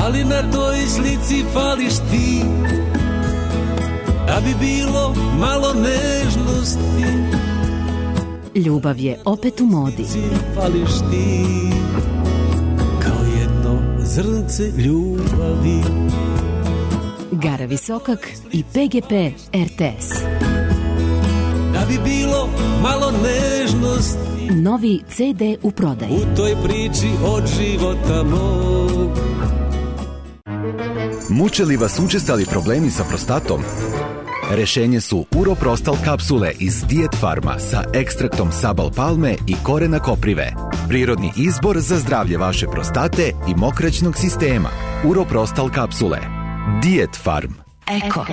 Ali na toj slici fališ ti, da bi bilo malo nežnosti. Ljubav je opet u modi. Fališ ti kao jedno zrnce ljubavi. Gara Visokak i pe ge pe er te es. Da bi bilo malo nežnosti. Novi ce de u prodaji. U toj priči od života mog. Muče li vas učestali problemi sa prostatom? Rešenje su Uroprostal kapsule iz Diet Farma sa ekstraktom sabal palme i korena koprive. Prirodni izbor za zdravlje vaše prostate i mokraćnog sistema. Uroprostal kapsule. Diet Farm. Eko.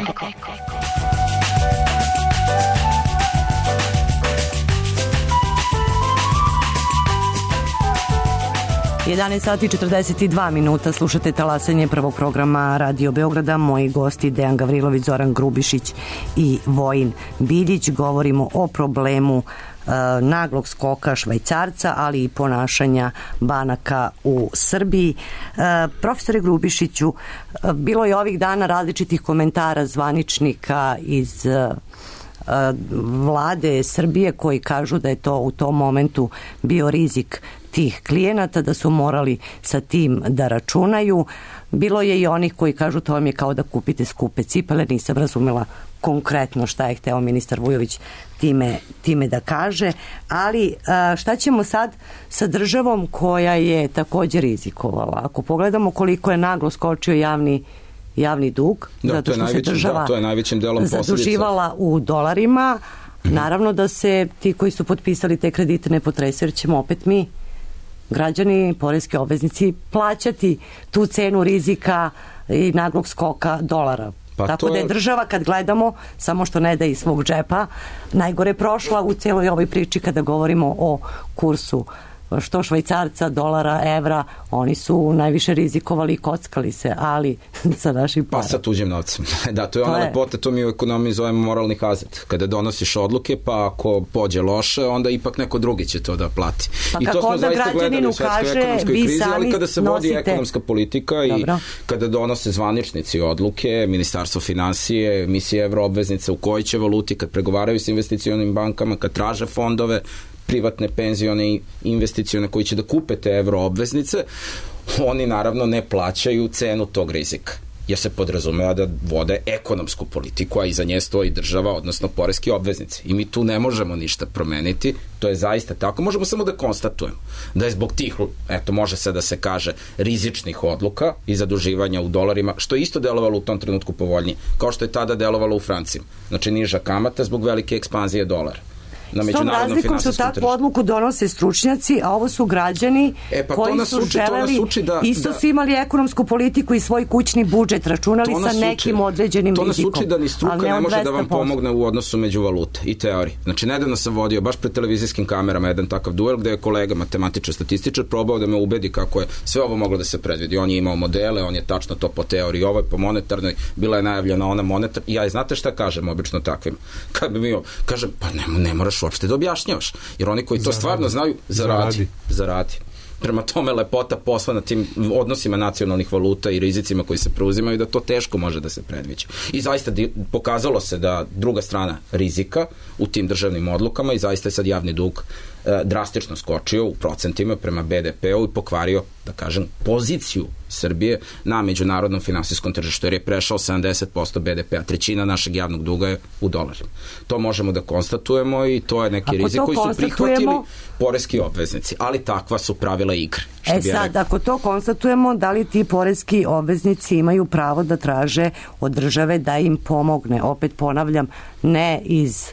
jedanaest sati i četrdeset dva minuta, slušate talasanje prvog programa Radio Beograda. Moji gosti Dejan Gavrilović, Zoran Grubišić i Vojin Biljić. Govorimo o problemu e, naglog skoka švajcarca, ali i ponašanja banaka u Srbiji. E, profesore Grubišiću, e, bilo je ovih dana različitih komentara zvaničnika iz e, vlade Srbije koji kažu da je to u tom momentu bio rizik tih klijenata, da su morali sa tim da računaju. Bilo je i onih koji kažu to vam je kao da kupite skupe cipele. Nisam razumela konkretno šta je hteo ministar Vujović time, time da kaže, ali šta ćemo sad sa državom koja je također rizikovala? Ako pogledamo koliko je naglo skočio javni javni dug, da, zato što se država da, to je najvećim delom zaduživala u dolarima, mm-hmm. Naravno da se ti koji su potpisali te kredite ne potresaju, jer ćemo opet mi, građani, poreski obveznici, plaćati tu cenu rizika i naglog skoka dolara. Pa tako to... da je država, kad gledamo, samo što ne da iz svog džepa, najgore prošla u cijeloj ovoj priči kada govorimo o kursu što švajcarca, dolara, evra. Oni su najviše rizikovali i kockali se, ali sa našim parama. Pa sa tuđim novcem. Da, to je ona lepota, to mi u ekonomiji zovemo moralni hazard. Kada donosiš odluke, pa ako pođe loše, onda ipak neko drugi će to da plati. Pa I to smo zaista gledali u svetskoj ekonomskoj krizi, ali kada se nosite... vodi ekonomska politika Dobro. I kada donose zvaničnici odluke, Ministarstvo finansije, emisije evroobveznice, u kojoj će valuti, kad pregovaraju s investicionim bankama, kad traže fondove, privatne penzione i investicione koji će da kupe te evroobveznice, oni naravno ne plaćaju cenu tog rizika. jer se podrazumeva da vode ekonomsku politiku, a iza nje stoji država, odnosno poreski obveznici. I mi tu ne možemo ništa promeniti, to je zaista tako. Možemo samo da konstatujemo da je zbog tih, eto, može se da se kaže, rizičnih odluka i zaduživanja u dolarima, što je isto delovalo u tom trenutku povoljnije, kao što je tada delovalo u francima. Znači, niža kamata zbog velike ekspanzije dolara. S tom razlikom što takvu odluku donose stručnjaci, a ovo su građani e, pa koji su uči, želeli, da, isto da, su imali ekonomsku politiku i svoj kućni budžet, računali sa nekim uči, određenim rizikom. To nas uči da ni struka ne, ne može da vam pomogne u odnosu među valute i teoriji. Znači, nedavno sam vodio baš pred televizijskim kamerama jedan takav duel gde je kolega matematičar, statističar probao da me ubedi kako je sve ovo moglo da se predvidi. On je imao modele, on je tačno to po teoriji, ovo je po monetarnoj, bila je najavljena ona monetarna. Ja, znate šta kažem obično takvim? Kad bi mi kažem, pa ne, ne moraš uopšte da objašnjavaš, jer oni koji to zaradi. Stvarno znaju, zaradi. Zaradi. Prema tome, lepota posla na tim odnosima nacionalnih valuta i rizicima koji se preuzimaju, da to teško može da se predviđa. I zaista pokazalo se da druga strana rizika u tim državnim odlukama i zaista je sad javni dug e, drastično skočio u procentima prema be de pe u i pokvario, da kažem, poziciju Srbije na međunarodnom finansijskom tržištu, jer je prešao sedamdeset posto be de pe, a trećina našeg javnog duga je u dolarima. To možemo da konstatujemo i to je neki rizik koji su prihvatili poreski obveznici, ali takva su pravila igre. E sad, ako to konstatujemo, da li ti poreski obveznici imaju pravo da traže od države da im pomogne? Opet ponavljam, ne iz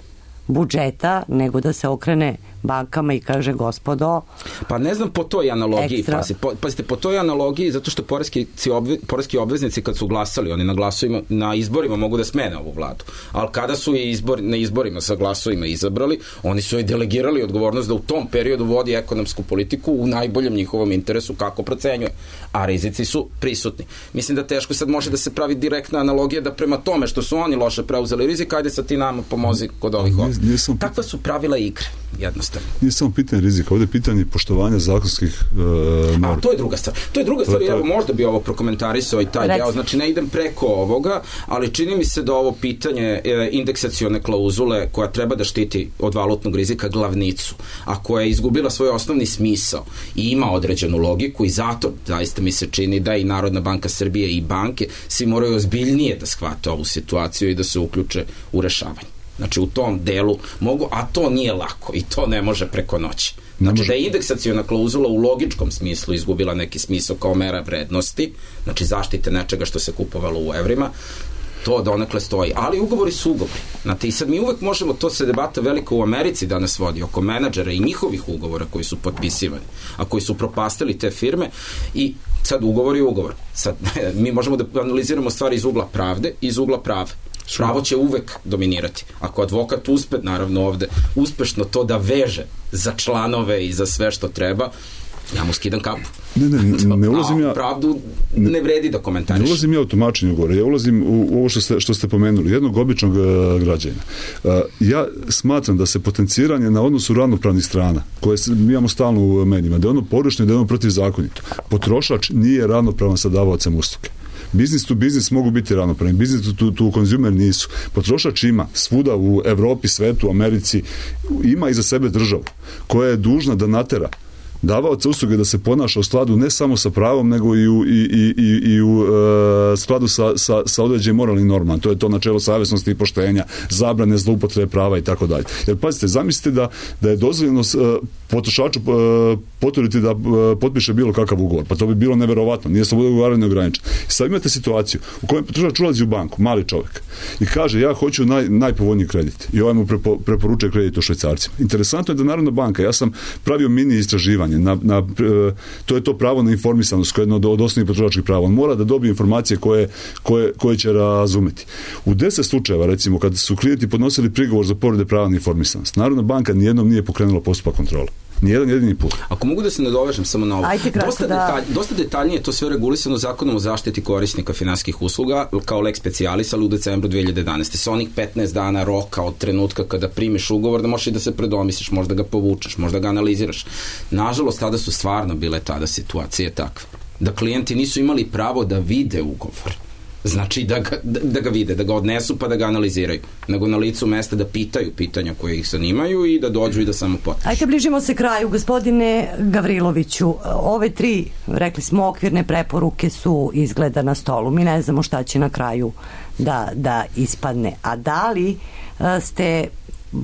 budžeta, nego da se okrene bankama i kaže, gospodo... Pa ne znam po toj analogiji, pazi, po, pazite, po toj analogiji, zato što poreski, obve, poreski obveznici kad su glasali, oni na glasovima, na izborima mogu da smene ovu vladu, ali kada su je izbor, na izborima sa glasovima izabrali, oni su joj delegirali odgovornost da u tom periodu vodi ekonomsku politiku u najboljem njihovom interesu kako procenjuje, a rizici su prisutni. Mislim da teško sad može da se pravi direktna analogija da prema tome što su oni loše preuzeli rizik, ajde sad ti nama pomozi kod ovih ovdje. Takva su pravila igre, jednostavno. Nije samo pitanje rizika, ovdje je pitanje poštovanja zakonskih uh, norma. A to je druga stvar. To je druga stvar, evo možda bi ovo prokomentarisao i taj deo, znači ne idem preko ovoga, ali čini mi se da ovo pitanje e, indeksacione klauzule koja treba da štiti od valutnog rizika glavnicu, a koja je izgubila svoj osnovni smisao i ima određenu logiku i zato zaista mi se čini da i Narodna banka Srbije i banke svi moraju ozbiljnije da shvate ovu situaciju i da se uključe u rešavanje. Znači u tom delu mogu, a to nije lako i to ne može preko noći. Znači da je indeksaciona klauzula u logičkom smislu izgubila neki smisao kao mera vrednosti, znači zaštite nečega što se kupovalo u evrima, to donekle stoji. Ali ugovori su ugovori. Znate, i sad mi uvek možemo, to se debata velika u Americi danas vodi oko menadžera i njihovih ugovora koji su potpisivani, a koji su propastili te firme i sad ugovor je ugovor. Sad, mi možemo da analiziramo stvari iz ugla pravde i iz ugla prave. Pravo će uvek dominirati. Ako advokat uspe, naravno ovde, uspešno to da veže za članove i za sve što treba, ja mu skidam kapu. Ne, ne, ne, ne ulazim ja... Pravdu ne vredi da komentariš. Ne ulazim ja u tumačenju ugovora, ja ulazim u ovo što ste, što ste pomenuli, jednog običnog uh, građana. Uh, ja smatram da se potenciranje na odnosu ravnopravnih strana, koje mi imamo stalno u menima, da je ono pogrešno i da je ono protivzakonito. Potrošač nije ravnopravan sa davaocem usluge. Biznis to biznis mogu biti ravnopravni, biznis to, to konzumer nisu. Potrošač ima svuda u Evropi, svetu, Americi, ima iza sebe državu koja je dužna da natera davaoca usluge da se ponaša u skladu ne samo sa pravom, nego i u, i, i, i, i u e, skladu sa, sa, sa određenim moralnim normama. To je to načelo savjesnosti i poštenja, zabrane zloupotrebe prava i tako dalje. Jer pazite, zamislite da, da je dozvoljeno e, potrošaču e, poturiti da e, potpiše bilo kakav ugovor. Pa to bi bilo neverovatno. Nije sloboda ugovaranja ograničena. I sad imate situaciju u kojoj potrošač ulazi u banku, mali čovjek, i kaže ja hoću naj, najpovoljniji kredit. I ovaj mu prepo, preporučuje kredit u švajcarcima. Interesantno je da Narodna banka, ja sam pravio mini istraživanje Na, na, to je to pravo na informisanost koje je jedno od osnovnih potrošačkih prava. On mora da dobije informacije koje, koje, koje će razumeti. U deset slučajeva, recimo, kad su klijenti podnosili prigovor za povrede prava na informisanost, Narodna banka nijednom nije pokrenula postupak kontrole. Nijedan jedini put. Ako mogu da se nadovežem samo na ovo. Ajde, kratko, dosta, da... detalj, dosta detaljnije to sve regulisano Zakonom o zaštiti korisnika finansijskih usluga kao lex specialis, ali u decembru dve hiljade jedanaeste. Sa onih petnaest dana roka od trenutka kada primiš ugovor, da možeš i da se predomisliš, možda ga povučeš, možda ga analiziraš. Nažalost, tada su stvarno bile tada situacije takve. Da klijenti nisu imali pravo da vide ugovor. znači da ga, da ga vide, da ga odnesu pa da ga analiziraju, nego na licu mesta da pitaju pitanja koje ih zanimaju i da dođu i da samo potpišu. Ajde, bližimo se kraju. Gospodine Gavriloviću, ove tri, rekli smo, okvirne preporuke su izgleda na stolu. Mi ne znamo šta će na kraju da, da ispadne. A da li ste,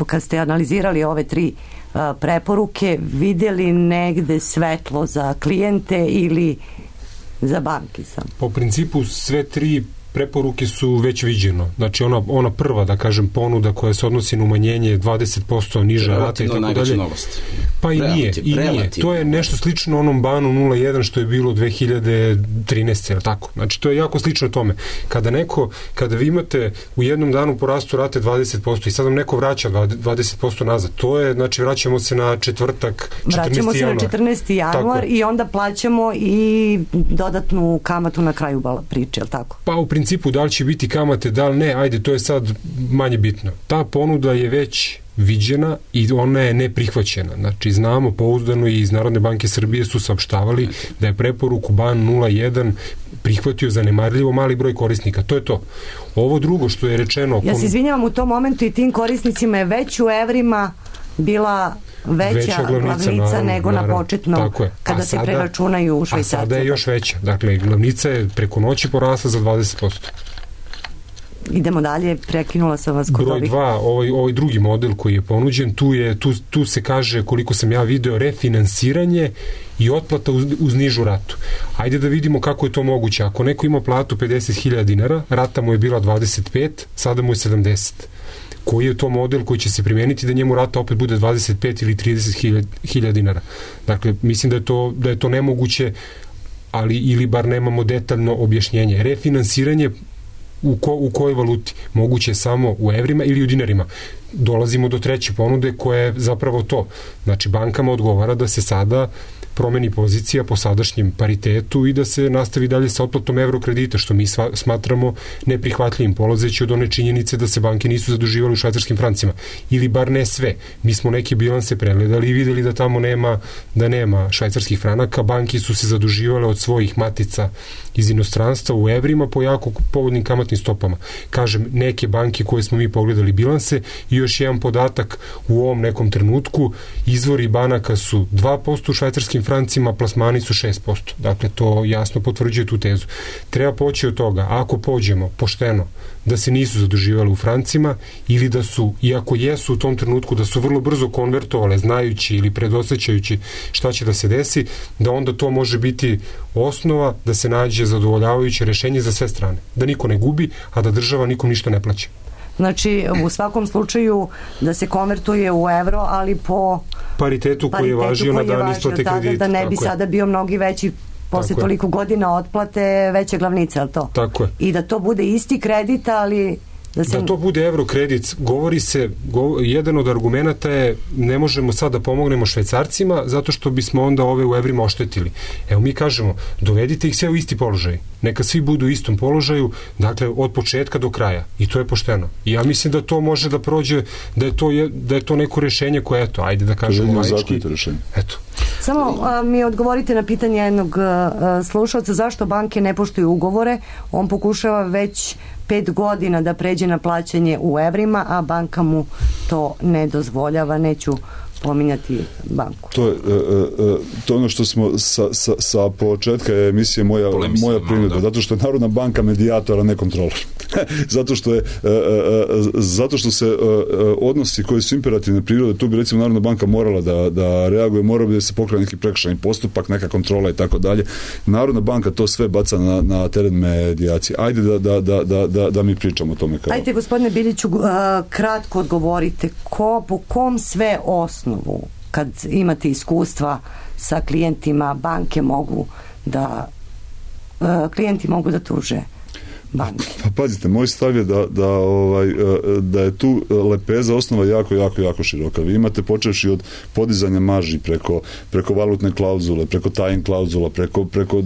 kad ste analizirali ove tri preporuke, vidjeli negde svetlo za klijente ili za banke sam? Po principu sve tri preporuke su već viđeno. Znači ona, ona prva, da kažem, ponuda koja se odnosi na umanjenje dvadeset posto niža rata i tako dalje. Novost. Pa i nije, i nije. To je nešto slično onom banu nula jedan što je bilo dve hiljade trinaeste, tako. Znači to je jako slično tome. Kada neko, kada vi imate u jednom danu porastu rate dvadeset posto i sad vam neko vraća dvadeset posto nazad, to je, znači vraćamo se na četvrtak, četrnaesti januar. Vraćamo se na četrnaesti januar i onda plaćamo i dodatnu kamatu na kraju priče, je li tako? Pa u principu da li će biti kamate, da li ne, ajde, to je sad manje bitno. Ta ponuda je već viđena i ona je neprihvaćena. Znači, znamo pouzdano i iz Narodne banke Srbije su saopštavali da je preporuku ban nula jedan prihvatio zanemarljivo mali broj korisnika. To je to. Ovo drugo što je rečeno... Ja se izvinjavam, u tom momentu i tim korisnicima je već u evrima bila veća, veća glavnica, glavnica naravno, nego naravno, na početno kada se sada, preračunaju u švajcarce. A sada je još veća. Dakle, glavnica je preko noći porasla za dvadeset posto. Idemo dalje, prekinula sam vas kod broj ovih. dva, ovaj, ovaj drugi model koji je ponuđen, tu, je, tu, tu se kaže, koliko sam ja video, refinansiranje i otplata uz, uz nižu ratu. Ajde da vidimo kako je to moguće. Ako neko ima platu pedeset hiljada dinara, rata mu je bila dvadeset pet, sada mu je sedamdeset. Koji je to model koji će se primeniti da njemu rata opet bude dvadeset pet ili trideset hiljada dinara. Dakle, mislim da je to, da je to nemoguće, ali ili bar nemamo detaljno objašnjenje. Refinansiranje u, ko, u kojoj valuti? Moguće samo u evrima ili u dinarima. Dolazimo do treće ponude koja je zapravo to. Znači, bankama odgovara da se sada promeni pozicija po sadašnjem paritetu i da se nastavi dalje sa otplatom evrokredita, što mi sva, smatramo neprihvatljivim, polazeći od one činjenice da se banke nisu zaduživali u švajcarskim francima. Ili bar ne sve. Mi smo neke bilanse pregledali i videli da tamo nema, da nema švajcarskih franaka. Banke su se zaduživale od svojih matica iz inostranstva u evrima po jako povoljnim kamatnim stopama. Kažem, neke banke koje smo mi pogledali bilanse i još jedan podatak u ovom nekom trenutku, izvori banaka su dva posto u švajcarskim francima, plasmani su šest posto. Dakle, to jasno potvrđuje tu tezu. Treba poći od toga, ako pođemo pošteno, da se nisu zaduživali u francima ili da su, iako jesu u tom trenutku, da su vrlo brzo konvertovale, znajući ili predosjećajući šta će da se desi, da onda to može biti osnova da se nađe zadovoljavajuće rešenje za sve strane. Da niko ne gubi, a da država nikom ništa ne plaća. Znači, u svakom slučaju da se konvertuje u evro, ali po paritetu koji je važio na dan isplate kredita. Da ne bi sada bio mnogi veći posle toliko godina otplate veće glavnice, ali to? Tako je. I da to bude isti kredit, ali... Da, se... da to bude evrokredit, govori se, go, jedan od argumenta je ne možemo sad da pomognemo švajcarcima zato što bismo onda ove u evrima oštetili. Evo mi kažemo, dovedite ih sve u isti položaj. Neka svi budu u istom položaju, dakle od početka do kraja. I to je pošteno. I ja mislim da to može da prođe, da je to, je, da je to neko rešenje koje, eto, ajde da kažemo laički. Eto. Samo a, mi odgovorite na pitanje jednog a, slušalca, zašto banke ne poštuju ugovore? On pokušava već pet godina da pređe na plaćanje u evrima, a banka mu to ne dozvoljava. Neću pominjati banku. To je e, e, to ono što smo sa, sa, sa početka emisije moja, moja primjedba, zato što je Narodna banka medijator, a ne kontrolor. zato što je e, e, zato što se e, odnosi koji su imperativne prirode, tu bi recimo Narodna banka morala da, da reaguje, mora bi da se pokrene neki prekršajni postupak, neka kontrola i tako dalje. Narodna banka to sve baca na, na teren medijacije. Ajde da, da, da, da, da, da mi pričamo o tome. Kao. Ajde, gospodine Biliću, kratko odgovorite, ko, po kom sve osnovu, kad imate iskustva sa klijentima, banke mogu da klijenti mogu da tuže banke? Pa pazite, moj stav je da, da, ovaj, da je tu lepeza osnova jako, jako, jako široka. Vi imate počevši od podizanja marži preko, preko valutne klauzule, preko tajn klauzula, preko, preko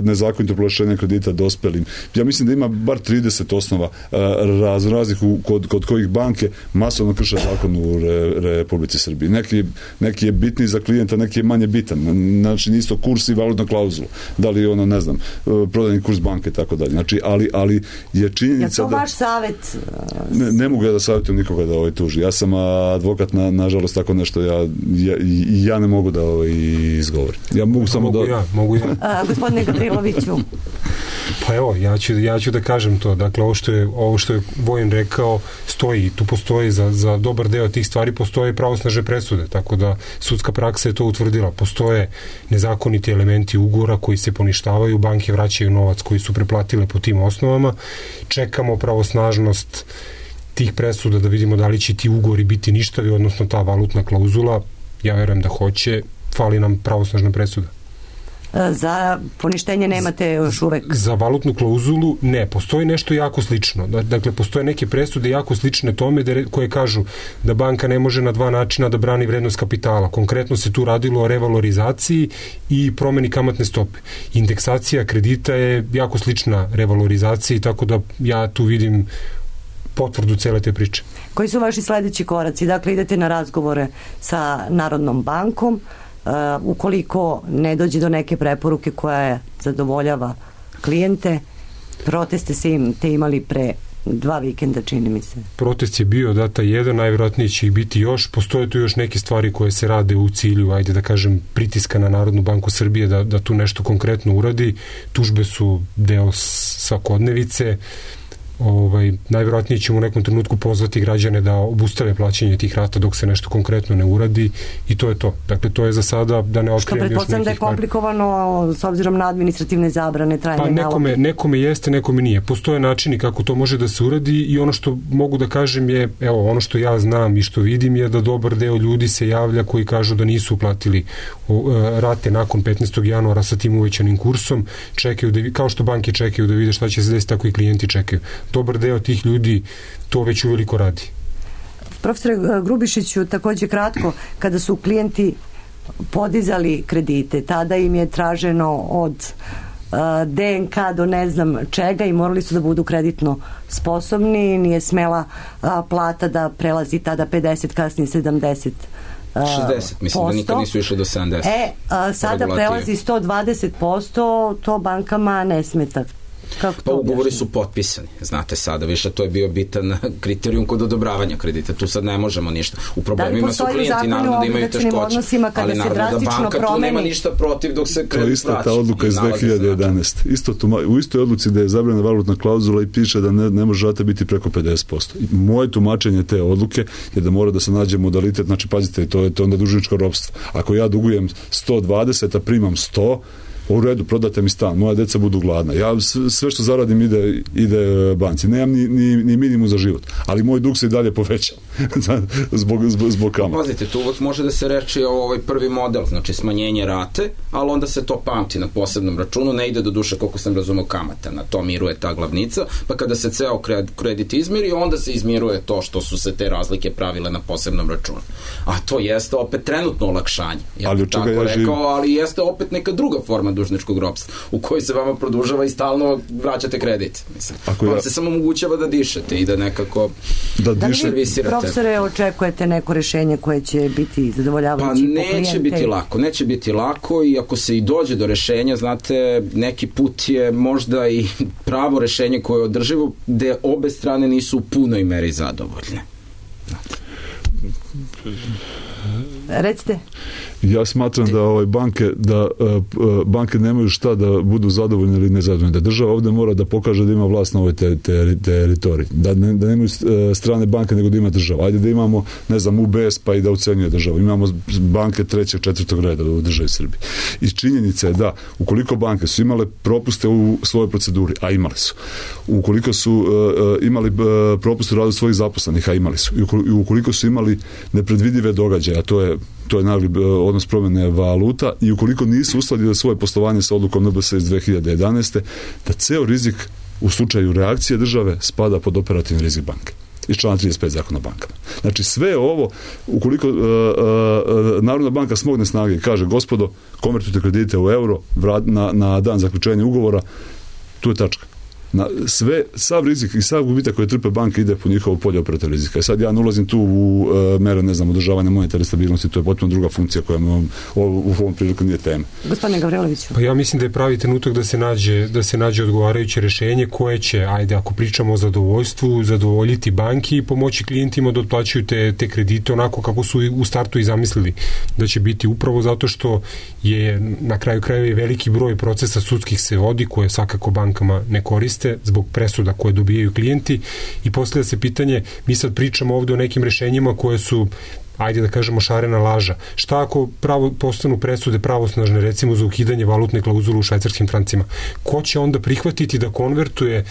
nezakonito proglašenja kredita dospelim. Ja mislim da ima bar trideset osnova raz, raznih kod, kod kojih banke masovno krše zakon u re, Republici Srbiji. Neki, neki je bitni za klijenta, neki je manje bitan. Znači, isto kurs i valutna klauzula. Da li je ono, ne znam, prodajni kurs banke i tako dalje. Znači, ali, ali ali je činjenica da... Je to vaš savjet? Ne, ne mogu ja da savjetujem nikoga da ovaj tuži. Ja sam advokat, na, nažalost, tako nešto ja, ja, ja ne mogu da ovaj izgovorim. Ja mogu samo mogu da... Ja, mogu ja. A, gospodine Gavriloviću. Pa evo, ja ću, ja ću da kažem to. Dakle, ovo što je, ovo što je Vojin rekao stoji. Tu postoji za, za dobar deo tih stvari postoje pravosnažne presude, tako da sudska praksa je to utvrdila. Postoje nezakoniti elementi ugovora koji se poništavaju, banke vraćaju novac koji su preplatile po tim osnovama. Čekamo pravosnažnost tih presuda da vidimo da li će ti ugovori biti ništavi, odnosno ta valutna klauzula. Ja verujem da hoće. Fali nam pravosnažna presuda. Za poništenje nemate još uvek? Za valutnu klauzulu ne, postoji nešto jako slično. Dakle, postoje neke presude jako slične tome koje kažu da banka ne može na dva načina da brani vrednost kapitala. Konkretno se tu radilo o revalorizaciji i promeni kamatne stope. Indeksacija kredita je jako slična revalorizaciji, tako da ja tu vidim potvrdu cele te priče. Koji su vaši sledeći koraci? Dakle, idete na razgovore sa Narodnom bankom. Uh, ukoliko ne dođe do neke preporuke koja je zadovoljava klijente, proteste se im te imali pre dva vikenda, čini mi se. Protest je bio data jedan, najvjerojatnije će ih biti još. Postoje tu još neke stvari koje se rade u cilju, ajde da kažem, pritiska na Narodnu banku Srbije da, da tu nešto konkretno uradi. Tužbe su deo svakodnevice. Ovaj, najvjerojatnije ćemo u nekom trenutku pozvati građane da obustave plaćanje tih rata dok se nešto konkretno ne uradi i to je to. Dakle, to je za sada da ne otkrijem još nekih... Što pretpostavljam da je komplikovano s obzirom na administrativne zabrane, trajne naloge. Pa nekome, nekome jeste, nekome nije. Postoje načini kako to može da se uradi i ono što mogu da kažem je, evo, ono što ja znam i što vidim je da dobar deo ljudi se javlja koji kažu da nisu uplatili rate nakon petnaestog januara sa tim uvećanim kursom, čekaju da, kao što banke čekaju da vide šta će se desiti, tako i klijenti čekaju. Dobar deo tih ljudi to već uveliko radi. Profesore Grubišiću, takođe kratko, kada su klijenti podizali kredite, tada im je traženo od uh, D N K do ne znam čega i morali su da budu kreditno sposobni, nije smela uh, plata da prelazi tada pedeset, kasnije sedamdeset šezdeset, mislim posto. Da nikad nisu išli do sedamdeset. E, a, sada prelazi sto dvadeset posto, to bankama ne smeta. Kako pa ugovori su potpisani, znate sada više, to je bio bitan kriterijum kod odobravanja kredita, tu sad ne možemo ništa. U problemima su klijenti, naravno da imaju teškoće, ali naravno da banka promeni. Tu nema ništa protiv dok se kredit vraća. To je ista ta odluka iz dve hiljade jedanaeste. Isto tu, u istoj odluci da je zabrana valutna klauzula i piše da ne, ne može rata biti preko pedeset posto. Moje tumačenje te odluke je da mora da se nađe modalitet, znači pazite, to je, to je onda dužničko ropstvo. Ako ja dugujem sto dvadeset, a primam sto, u redu, prodate mi stan, moja deca budu gladna. Ja sve što zaradim ide, ide banci. Nemam ni, ni, ni minimum za život. Ali moj dug se i dalje poveća. zbog, zbog, zbog kamata. Pazite, tu uvek može da se reči o ovaj prvi model, znači smanjenje rate, ali onda se to pamti na posebnom računu, ne ide do duše koliko sam razumeo kamata, na to miruje ta glavnica, pa kada se ceo kredit izmiri, onda se izmiruje to što su se te razlike pravile na posebnom računu. A to jeste opet trenutno olakšanje. Ja ali bih tako ja rekao, živim... ali jeste opet neka druga forma dužničkog ropstva, u kojoj se vama produžava i stalno vraćate kredit. Mislim, vam ja... se samo omogućava da dišete i da nekako da, da diše... servisirate. Profesore, očekujete neko rešenje koje će biti zadovoljavajuće pa, po klijente? Neće biti lako, neće biti lako i ako se i dođe do rešenja, znate, neki put je možda i pravo rešenje koje je održivo, gde obe strane nisu u punoj meri zadovoljne. Znate. Recite. Ja smatram da ovaj banke da uh, banke nemaju šta da budu zadovoljne ili nezadovoljne. Da država ovde mora da pokaže da ima vlast na ovoj te, te, teritoriji. Da, ne, da nemaju strane banke nego da ima država. Ajde da imamo, ne znam, U B S pa i da ucenjuje državu. Imamo banke trećeg, četvrtog reda u državi Srbiji. I činjenica je da ukoliko banke su imale propuste u svojoj proceduri, a imali su. Ukoliko su uh, imali uh, propuste u radu svojih zaposlenih, a imali su. I ukoliko su imali nepredvidive događaje, a to je to je nagli odnos promjene valuta i ukoliko nisu uskladili svoje poslovanje sa odlukom N B S iz dve hiljade jedanaeste, da ceo rizik u slučaju reakcije države spada pod operativni rizik banke iz člana trideset pet zakona o bankama. Znači sve ovo, ukoliko uh, uh, Narodna banka smogne snage i kaže, gospodo, konvertujte kredite u euro vrat, na, na dan zaključenja ugovora, tu je tačka. Na sve, sav rizik i sav gubitak koje trpe banke ide po njihovo polje operativnog rizika. I sad ja ne ulazim tu u uh, mere, ne znam, održavanja monetarne stabilnosti, to je potpuno druga funkcija koja nam u ovom priliku nije tema. Gospodine Gavriloviću. Pa ja mislim da je pravi trenutak da se nađe, da se nađe odgovarajuće rešenje koje će, ajde, ako pričamo o zadovoljstvu, zadovoljiti banki i pomoći klijentima da otplaćuju te, te kredite onako kako su u startu i zamislili da će biti, upravo zato što je na kraju krajeva i veliki broj procesa sudskih se vodi koje svakako bankama ne koriste zbog presuda koje dobijaju klijenti i postavlja se pitanje, mi sad pričamo ovde o nekim rešenjima koje su, ajde da kažemo, šarena laža. Šta ako pravo, postanu presude pravosnažne, recimo za ukidanje valutne klauzule u švajcarskim francima? Ko će onda prihvatiti da konvertuje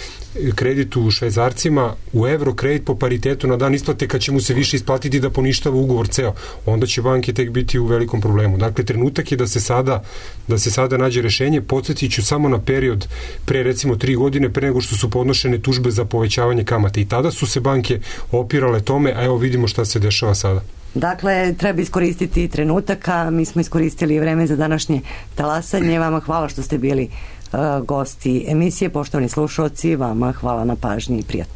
kredit u švajcarcima u evro kredit po paritetu na dan isplate kad će mu se više isplatiti da poništava ugovor ceo? Onda će banke tek biti u velikom problemu. Dakle, trenutak je da se sada, da se sada nađe rešenje. Podsjetit ću samo na period pre recimo tri godine pre nego što su podnošene tužbe za povećavanje kamate. I tada su se banke opirale tome, a evo vidimo šta se dešava sada. Dakle, treba iskoristiti trenutak, a mi smo iskoristili vreme za današnje talasanje. Vama hvala što ste bili uh, gosti emisije. Poštovani slušalci, vama hvala na pažnji i prijatno.